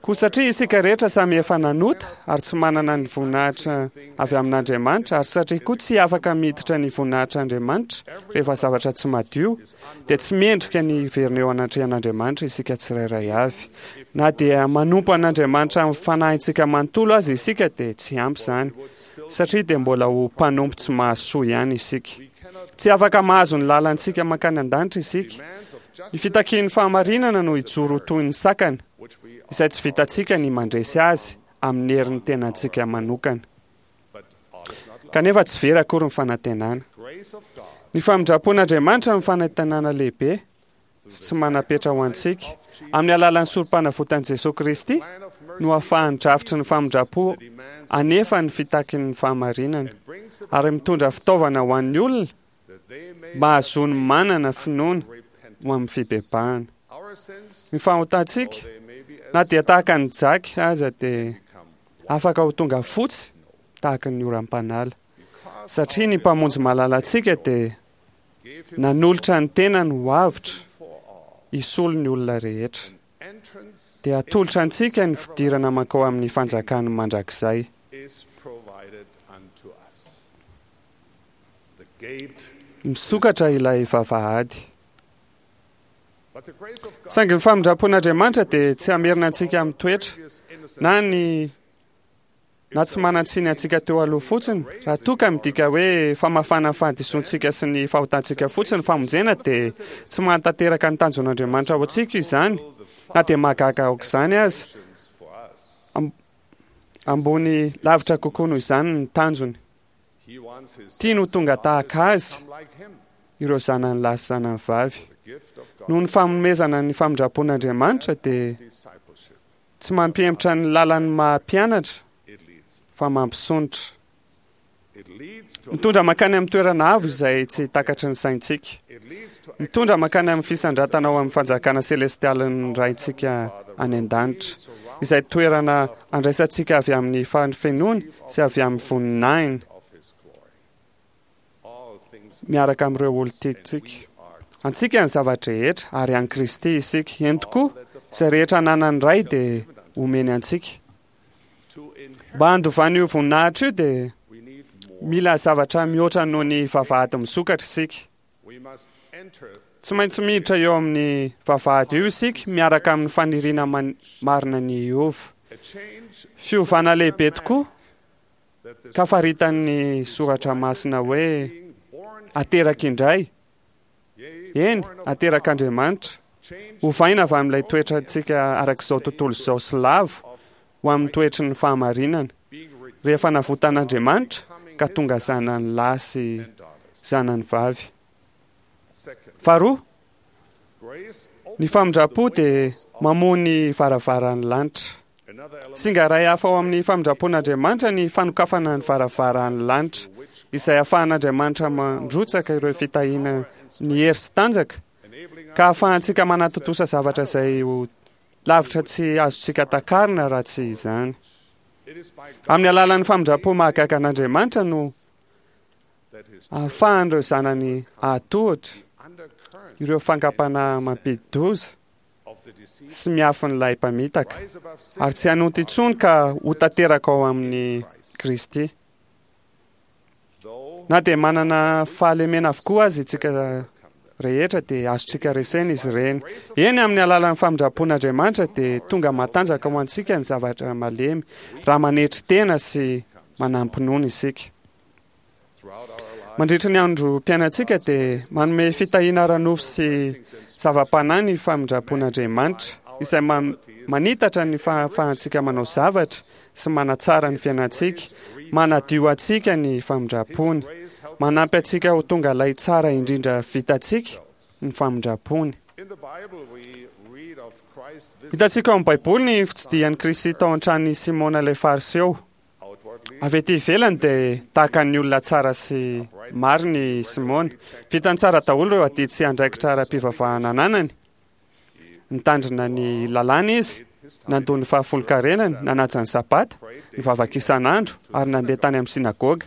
Koa satria isika rehetra samy efa nanota ary tsy manana ny voninahitra avy amin'Andriamanitra, ary satria koa tsy afaka miditra ny voninahitr'Andriamanitra rehefa zavatra tsy madio, dia tsy mendrika ny hiverina eo anatrehan'Andriamanitra isika tsirairay avy. Na dia manompo an'Andriamanitra amin'ny fanahintsika manontolo aza isika dia tsy ampy izany, satria dia mbola ho mpanompo tsy mahasoa ihany isika. Tsy afaka mahazo ny lalantsika mankany an-danitra isika. Ny fitakian'ny fahamarinana no hijoro ho toy ny sakana, izay tsy vitantsika ny mandresy azy amin'ny herin'ny tenantsika manokana. Kanefa tsy very akory ny fanantenana. Ny famindram-pon'Andriamanitra no fanantenana lehibe sy tsy manam-petra ho antsika. Amin'ny alalan'ny sorom-panavotan'i Jesoa Kristy no ahafahan'ny drafitry ny famindram-po hanefa ny fitakin'ny fahamarinana ary mitondra fitaovana ho an'ny olona mba hahazoany manana finoana ho amin'ny fibebahana. Ny fahotantsika, na dia tahaka ny jaky aza, dia afaka ho tonga fotsy tahaka ny oram-panala, satria ny Mpamonjy malalantsika dia nanolotra ny tenany ho avotra hisolo ny olona rehetra. Dia atolotra antsika ny fidirana mankao amin'ny fanjakany mandrakizay. Misokatra ilay vavahady. Saingy ny famindram-pon'Andriamanitra dia tsy hamerina antsika amin'ny toetra na ny na tsy manan-tsiny antsika teo aloha fotsiny. Raha toa ka midika hoe famafana ny fahadisoantsika sy ny fahotantsika fotsiny ny famonjena dia tsy mahatanteraka ny tanjon'Andriamanitra ho antsika izany, na dia mahagaga aok'izany aza. Ambony lavitra kokoa noho izany ny tanjony. Tiany ho tonga tahaka azy ireo zanany lahy sy zanany vavy. Noho ny fanomezana ny famindram-pon'Andriamanitra dia tsy mampihemotra ny lalan'ny maha mpianatra fa mampisondrotra. Mitondra mankany amin'ny toerana avo izay tsy takatry ny saintsika. Mitondra mankany amin'ny fisandratana ao amin'ny fanjakana selestialin'ny Raintsika any an-danitra, izay toerana andraisantsika avy amin'ny fahafenoany sy avy amin'ny voninahiny miaraka amin'ireo olon-tiantsika. Antsika ny zava-drehetra ary an'i Kristy isika. Eny tokoa, izay rehetra ananan'ny Ray dia omeny antsika. Mba handovana io voninahitra io dia mila zavatra mihoatra noho ny vavahady misokatra isika. Tsy maintsy miditra eo amin'ny vavahady io isika miaraka amin'ny faniriana marina ny hiova. Fiovana lehibe tokoa ka faritan'ny Soratra Masina hoe ateraka indray. Eny, aterak'Andriamanitra. Ovaina avy amin'ilay toetrantsika arak'izao tontolo izao sy lavo ho amin'ny toetry ny fahamarinana, rehefa navotan'Andriamanitra ka tonga zanany lahy sy zanany vavy. Faharoa, ny famindram-po dia mamoha ny varavaran'ny lanitra. Singa iray hafa ao amin'ny famindram-pon'Andriamanitra ny fanokafana ny varavaran'ny lanitra, izay ahafahan'Andriamanitra mandrotsaka ireo fitahiana ny hery sy tanjaka, ka ahafahantsika manatontosa zavatra izay ho lavitra tsy azontsika takarina raha tsy izany. Amin'ny alalan'ny famindram-po mahagaga an'Andriamanitra no ahafahan'ireo zanany hahatohitra ireo fankam-panahy mampidi-doza sy miafin'ilay mpamitaka, ary tsy hanonta intsony ka ho tanteraka ao amin'i Kristy. Na dia manana fahalemena avokoa aza isika rehetra dia azontsika resena izy ireny. Eny, amin'ny alalan'ny famindram-pon'Andriamanitra dia tonga matanjaka ho antsika ny zavatra malemy raha manetry tena sy manam-pinoana isika. Mandritra ny androm-piainantsika dia manome fitahiana ara-nofo sy zava-panahy ny famindram-pon'Andriamanitra, izay manitatra ny fahafahantsika manao zavatra sy manatsara ny fiainantsika, manadio antsika ny famindram-pony. Manampy antsika ho tonga ilay tsara indrindra vitantsika ny famindrampony. Hitantsika ao amin'ny Baiboly ny fitsidihan'i Kristy tao an-tranon'i Simona ilay Fariseo. Avy ety ivelany dia tahaka ny olona tsara sy marina i Simona. Vitany tsara daholo ireo adidy sy andraikitra ara-pivavahana ananany. Nitandrina ny lalàna izy, nandoa ny fahafolonkarenany, nanaja ny Sabata, nivavaka isan'andro ary nandeha tany amin'ny synagoga.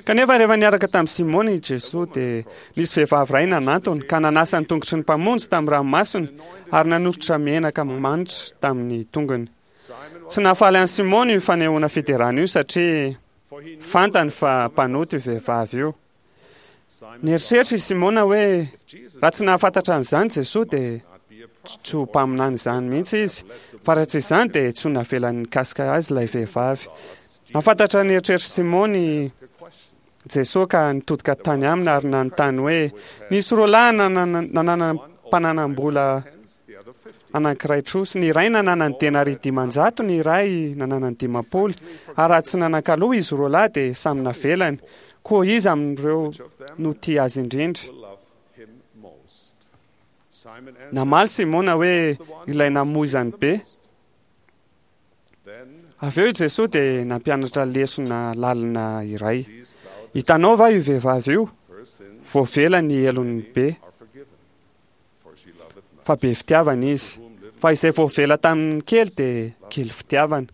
Kanefa rehefa niaraka tamin'i Simona i Jesoa dia nisy vehivavy iray nanantona ka nanasa ny tongotry ny Mpamonjy tamin'ny ranomasony ary nanoritra menaka manitra tamin'ny tongony. Tsy nahafaly an'i Simona io fanehoana fiderana io satria fantany fa mpanota io vehivavy io. Nieritreritra i Simona hoe raha tsy nahafantatra an'izany Jesoa dia tsy ho mpaminany izany mihitsy izy, fa raha tsy izany dia tsy ho navelany nikasika azy ilay vehivavy. Nahafantatra ny eritreritr'i Simona i Jesoa ka nitodika tany aminy ary nanontany hoe, Nisy roa lahy nanana mpananam-bola anankiray trosa, ny iray nananany denaria dimanjato, ny iray nananany dimampolo, ary raha tsy nanan-kaloa izy roa lahy dia samy navelany. Koa iza amin'ireo no tia azy indrindra? Namaly Simona hoe, Ilay namoizany be. Avy eo i Jesoa dia nampianatra lesona lalina iray. Hitanao va io vehivavy io? Voavela ny helony be, fa be fitiavana izy. Fa izay voavela tamin'ny kely dia kely fitiavana.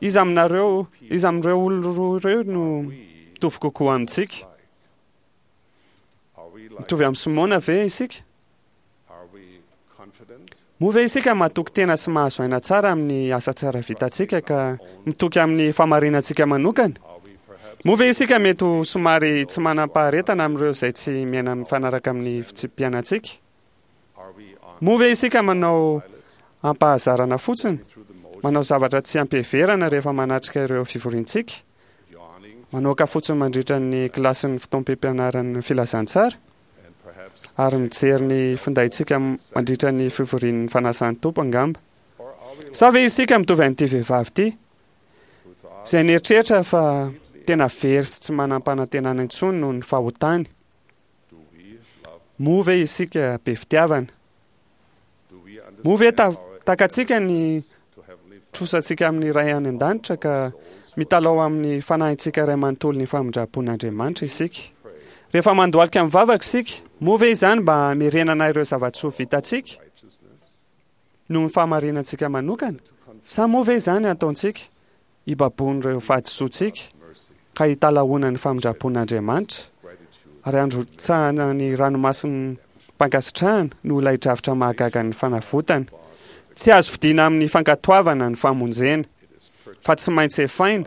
Iza aminareo, iza amin'ireo olona roa ireo no mitovy kokoa amintsika? Mitovy amin'i Simona ve isika? Moa ve isika matoky tena sy mahazo aina tsara amin'ny asa tsara vitantsika ka mitoky amin'ny fahamarinantsika manokana? Moa ve isika mety ho somary tsy manam-paharetana amin'ireo izay tsy miaina mifanaraka amin'ny fitsipi-piainantsika? Moa ve isika manao ampahazarana fotsiny, manao zavatra tsy ampiheverana rehefa manatrika ireo fivoriantsika? Manoaka fotsiny mandritra ny kilasin'ny fotoam-pampianaran'ny filazantsara? Ary mijery ny findaintsika mandritra ny fivorian'ny fanasan'ny Tompo angamba? Sa ve isika mitovy an'ity vehivavy ity, izay nieritreritra fa tena very sy tsy manam-panantenana intsony noho ny fahotany? Moa ve isika be fitiavana? Moa ve takatsika ny trosantsika amin'ny Ray any an-danitra ka mitalaho amin'ny fanahintsika iray manontolo ny famindram-pon'Andriamanitra isika? Rehefa mandohalika mivavaka isika, moa ve izany mba hamerenana ireo zava-tsoa vitantsika noho ny fahamarinantsika manokana? Sa moa ve izany ataontsika hibaboan'ireo fahadisoantsika ka hitalahoana ny famindram-pon'Andriamanitra ary handrotsahana ny ranomasom-pankasitrahana noho ilay drafitra mahagagan'ny fanavotana? Tsy azo vidiana amin'ny fankatoavana ny famonjena, fa tsy maintsy efaina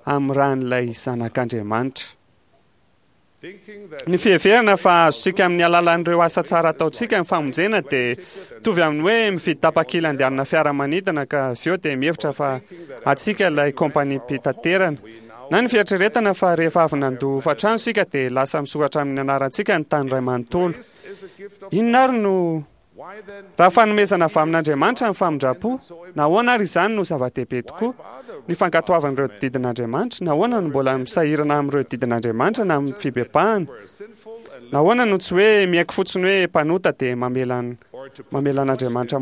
amin'ny ran'ilay Zanak'Andriamanitra. Ny fiheverana fa azontsika amin'ny alalan'ireo asa tsara ataontsika ny famonjena dia mitovy amin'ny hoe mividy tapakila andehanana fiaramanidina ka avy eo dia mihevitra fa antsika ilay kompaniam-pitaterana. Na ny fieritreretana fa rehefa avy nandoa hofan-trano isika dia lasa misoratra amin'ny anarantsika ny tany iray manontolo. Inona ary no Raha fanomezana avy amin'Andriamanitra ny famindram-po, nahoana ary izany no zava-dehibe tokoa? Ny fankatoavana ireo didin'Andriamanitra, nahoana no mbola misahirana amin'ireo didin'Andriamanitra na amin'ny fibebahana? Nahoana no tsy hoe miaiky fotsiny hoe mpanota dia mamela mamela an'Andriamanitra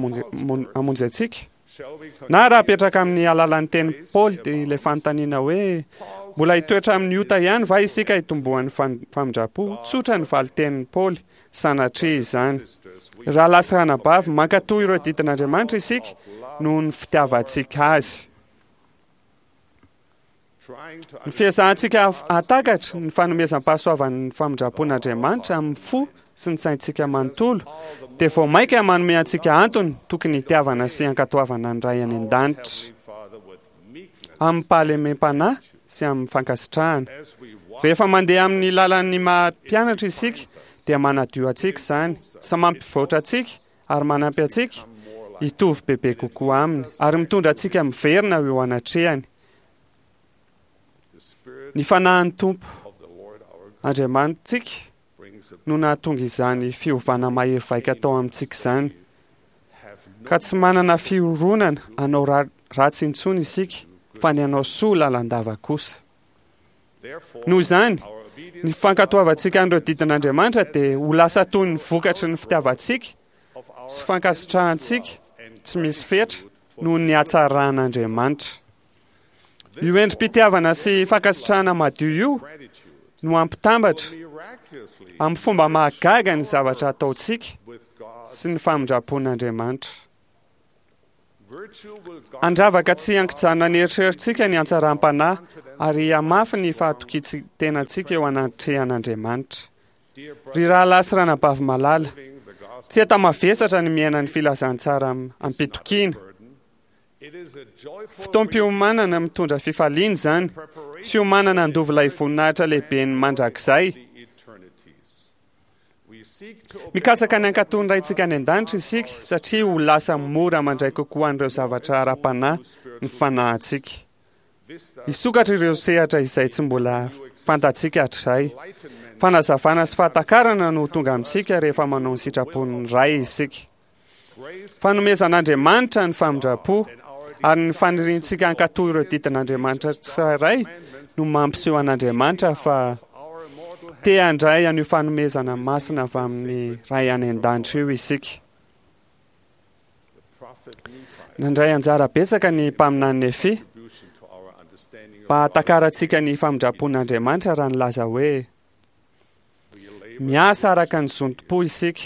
hamonjy antsika? Na raha apetraka amin'ny alalan'ny tenin'i Paoly dia ilay fanontaniana hoe, Mbola hitoetra amin'ny ota ihany va isika hitomboan'ny famindram-po? Tsotra ny valin-tenin'i Paoly, Sanatria izany. Rahalahy sy ranabavy, mankatò ireo didin'Andriamanitra isika noho ny fitiavantsika Azy. Ny fiezahantsika hahatakatra ny fanomezam-pahasoavan'ny famindram-pon'Andriamanitra amin'ny fo sy ny saintsika manontolo dia vao mainka manome antsika antony tokony hitiavana sy hankatoavana ny Ray any An-danitra amim-pahalemem-panahy sy amin'ny fankasitrahana. Rehefa mandeha amin'ny lalan'ny maha mpianatra isika dia manadio antsika izany sy mampivoatra antsika ary manampy antsika hitovy bebe kokoa Aminy ary mitondra antsika miverina eo anatrehany. Ny Fanahin'ny Tompo Andriamanitsika no nahatonga izany fiovana mahery vaika tao amintsika izany, ka tsy manana fironana hanao ratsy intsony isika, fa ny hanao soa lalandava kosa. Noho izany, ny fankatoavantsika an'ireo didin'Andriamanitra dia ho lasa toy ny vokatry ny fitiavantsika sy fankasitrahantsika tsy misy fetra noho ny hatsaran'Andriamanitra. Io endri-pitiavana sy fankasitrahana madio io no hampitambatra amin'ny fomba mahagaga ny zavatra ataontsika sy ny famindram-pon'Andriamanitra. Handravaka tsy an-kijanona ny eritreritsika ny hatsaram-panahy ary hamafy ny fahatokian-tenantsika eo anatrehan'Andriamanitra. Ry rahalahy sy ranabavy malala, tsy enta-mavesatra ny miaina ny filazantsara am-pitokiana. Fotoam-piomanana mitondra fifaliana izany, fiomanana handova ilay voninahitra lehiben'ny mandrakizay. Mikatsaka ny hankatò ny Raintsika any an-danitra isika, satria ho lasa mora mandray kokoa an'ireo zavatra ara-panahy ny fanahintsika. Hisokatra ireo sehatra izay tsy mbola fantatsika hatrizay. Fanazavana sy fahatakarana no ho tonga amintsika rehefa manao ny sitrapon'ny Ray isika. Fanomezan'Andriamanitra ny famindram-po, ary ny faniriantsika hankatò ireo didin'Andriamanitra tsirairay no mampiseho an'Andriamanitra fa te handray an'io fanomezana masina avy amin'ny Ray any an-danitra io isika. Nandray anjara betsaka ny mpaminany Nefia mba hahatakarantsika ny famindram-pon'Andriamanitra raha nilaza hoe, Miasa araka ny zontom-po isika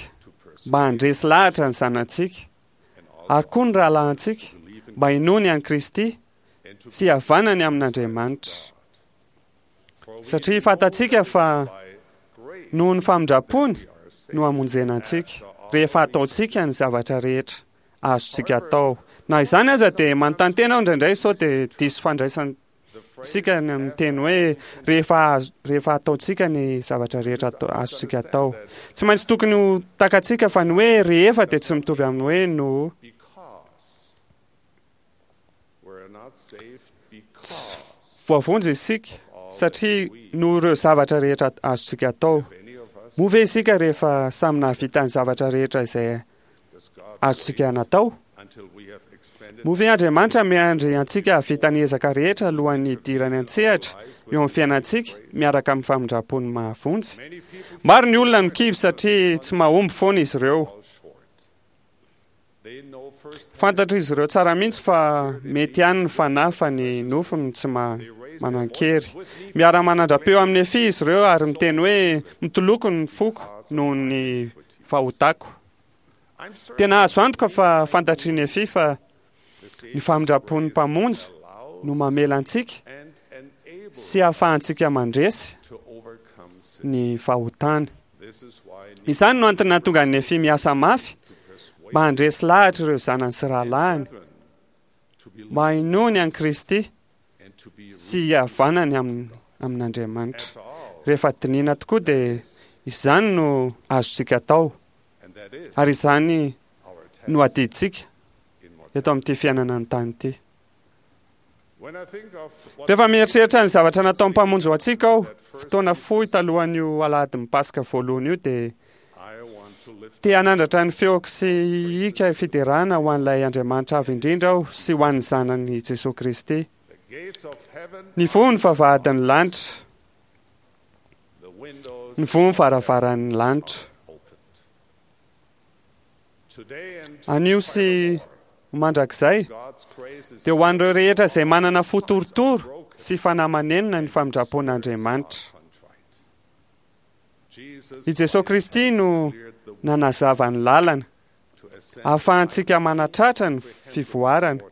mba handresy lahatra ny zanatsika ary koa ny rahalahintsika mba hinoany an'i Kristy sy hihavanany amin'Andriamanitra. Satria fantatsika fa noho ny famindram-pony no hamonjena antsika rehefa ataontsika ny zavatra rehetra azontsika atao. Na izany aza dia manontany tena aho indraindray sao dia diso fandraisana isika ny amin'ny teny hoe rehefa rehefa ataontsika ny zavatra rehetra azontsika atao. Tsy maintsy tokony ho takatsika fa ny hoe rehefa dia tsy mitovy amin'ny hoe noho. Tsy voavonjy isika satria noho ireo zavatra rehetra azontsika atao. Moa ve isika rehefa samy nahavita ny zavatra rehetra izay azontsika natao? Moa ve Andriamanitra miandry antsika hahavita ny ezaka rehetra alohan'ny hidirany an-tsehatra eo amin'ny fiainantsika miaraka amin'ny famindram-pony mahavonjy? Maro ny olona no kivy satria tsy mahomby foana izy ireo. Fantatr'izy ireo tsara mihitsy fa mety ihany ny fanahy fa ny nofo no tsy manan-kery. Miara-manandra-peo amin'i Nefia izy ireo ary miteny hoe, Mitoloko ny foko noho ny fahotako. Tena azo antoka fa fantatr'i Nefia fa ny famindram-pon'ny Mpamonjy no mamela antsika sy ahafahantsika mandresy ny fahotana. Izany no antony nahatonga an'i Nefia miasa mafy mba handresy lahatra ireo zanany sy rahalahiny, mba hinoany an'i Kristy sy hihavanany amin'Andriamanitra. Rehefa dinihina tokoa dia izany no azontsika atao, ary izany no adidintsika eto amin'ity fiainana an-tany ity. Rehefa mieritreritra ny zavatra nataon'ny Mpamonjy ho antsika aho, fotoana fohy talohan'io alahadin'ny Paska voalohany io, dia te hanandratra ny feoko sy hihika fiderana ho an'ilay Andriamanitra Avo Indrindra aho sy ho an'ny Zanany Jesoa Kristy. Nivoha ny vavahadin'ny lanitra. Nivoha ny varavaran'ny lanitra. Anio sy ho mandrakizay, dia ho an'ireo rehetra izay manana fo torotoro sy fanahy manenina ny famindram-pon'Andriamanitra. I Jesoa Kristy no nanazava ny lalana ahafahantsika manatratra ny fivoarana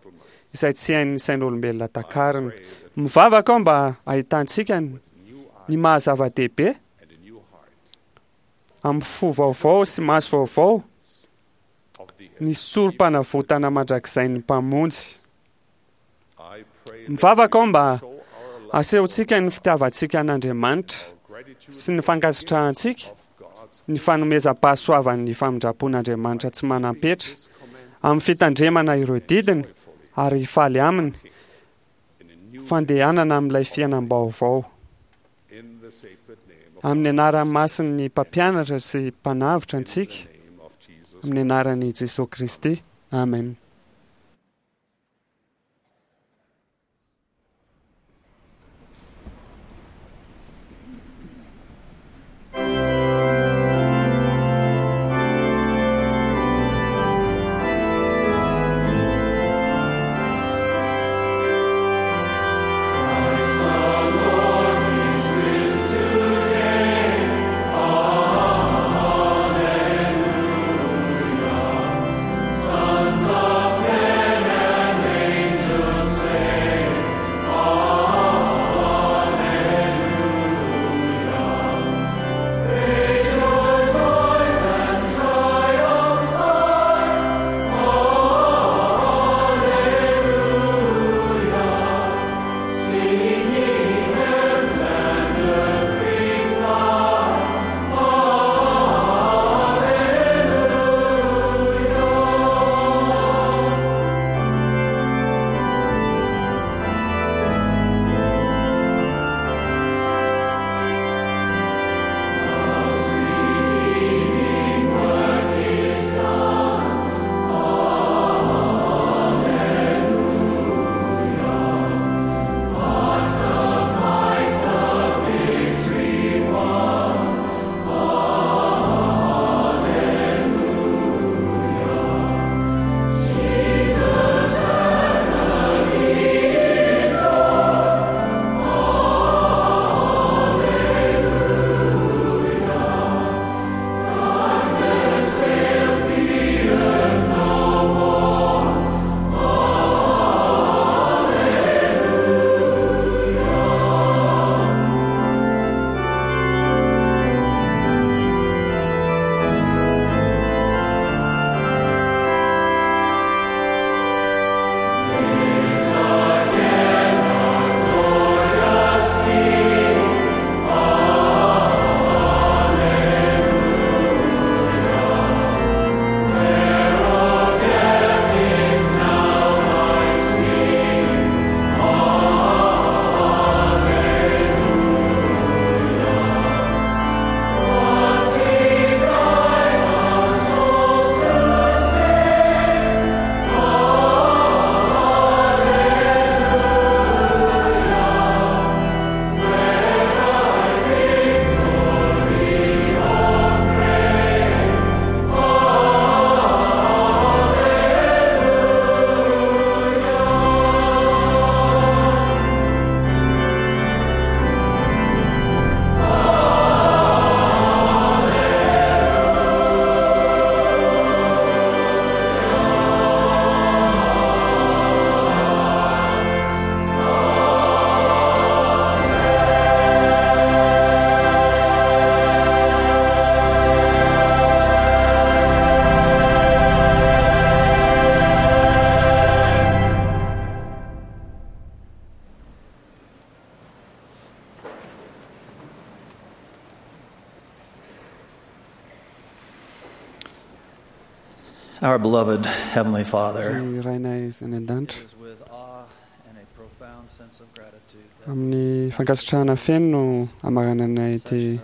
izay tsy hain'ny sain'olombelona takarina. Mivavaka aho mba hahitantsika ny maha zava-dehibe amin'ny fo vaovao sy maso vaovao ny sorom-panavotana mandrakizain'ny Mpamonjy. Mivavaka aho mba asehontsika ny fitiavantsika an'Andriamanitra sy ny fankasitrahantsika ny fanomezam-pahasoavan'ny famindram-pon'Andriamanitra tsy manam-petra amin'ny fitandremana ireo didiny ary hifaly aminy fandehanana amin'ilay fiainam-baovao. Amin'ny anaran'ny masin'ny Mpampianatra sy Mpanavotra antsika, amin'ny anaran'i Jesoa Kristy. Amen. Our beloved Heavenly Father, Ry Rainay izay any an-danitra, amin'ny fankasitrahana feno no amarananay ity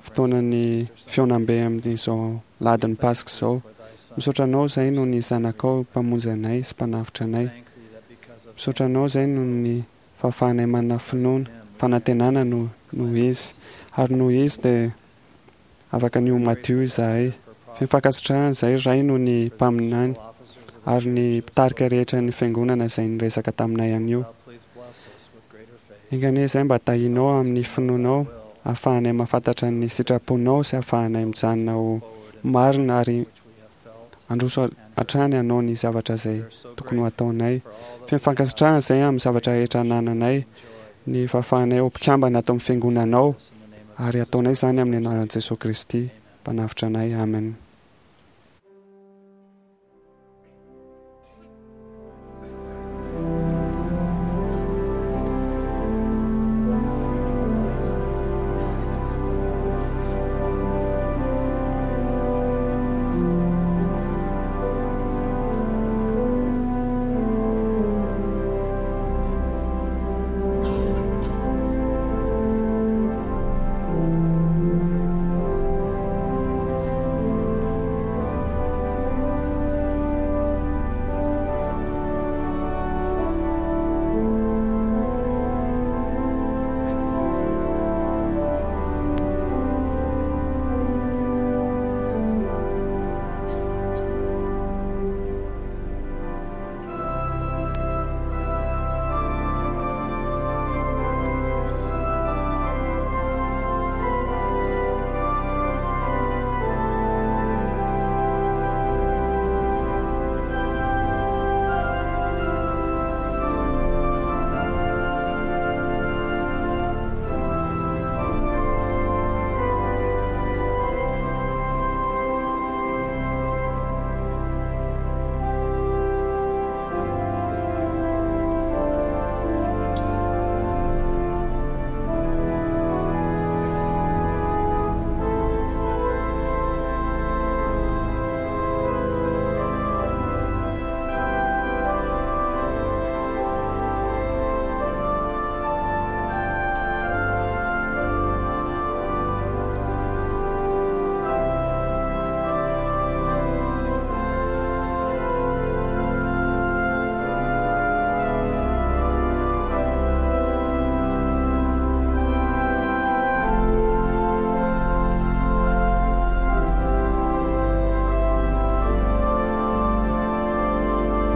fotoanan'ny fihaonambe amin'izao ladin'ny Paska izao. Misaotra anao izay noho ny zanakao mpamonjy anay sy mpanavotra anay. Misaotra anao izay noho ny fahafahanay manana finoana, fanantenana noho noho izy. Ary noho izy dia afaka ny ho madio izahay. Feno fankasitrahana izahay Ray noho ny mpaminany ary ny mpitarika rehetra ny fiangonana izay niresaka taminay anio. Enga anie izay mba tahianao amin'ny finoanao ahafahanay mahafantatra ny sitraponao sy ahafahanay mijanona ho marina ary handroso hatrany hanao ny zavatra izay tokony ho ataonay. Feno fankasitrahana izay amin'ny zavatra rehetra anananay, ny fahafahanay ho mpikambana ato amin'ny fiangonanao, ary ataonay izany amin'ny anaran'i Jesoa Kristy, Mpanavotra anay. Amen.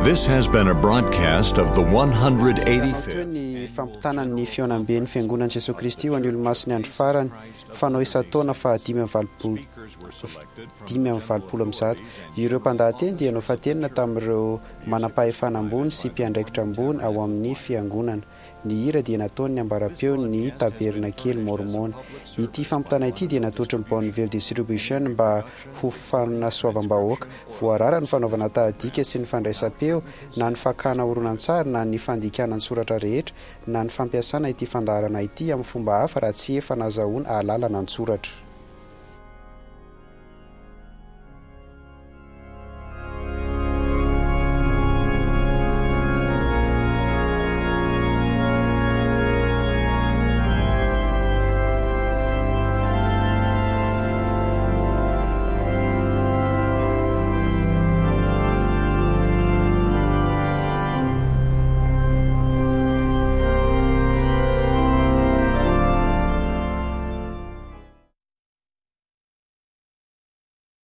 This has been a broadcast of the one hundred eighty-fifth. Toy ny fampitana ny fihaonamben'ny Fiangonan'i Jesoa Kristy ho an'ny Olomasin'ny Andro Farany, fanao isan-taona fahadimy amby valopolo dimy amby valopolo amby zato. Ireo mpandahateny dia nofantenina tamin'ireo manam-pahefana ambony sy mpiandraikitra ambony ao amin'ny Fiangonana. Ny hira dia nataon'ny ambaram-peon'ny Tabernakely Môrmôna. Ity fampitana ity dia natolotry ny Bonneville Distribution mba ho fanasoavam-bahoaka. Voarara ny fanaovana tahadika sy ny fandraisam-peo na ny fakana horonantsary na ny fandikana an-tsoratra rehetra na ny fampiasana ity fandaharana ity amin'ny fomba hafa raha tsy efa nazahoana alalana an-tsoratra.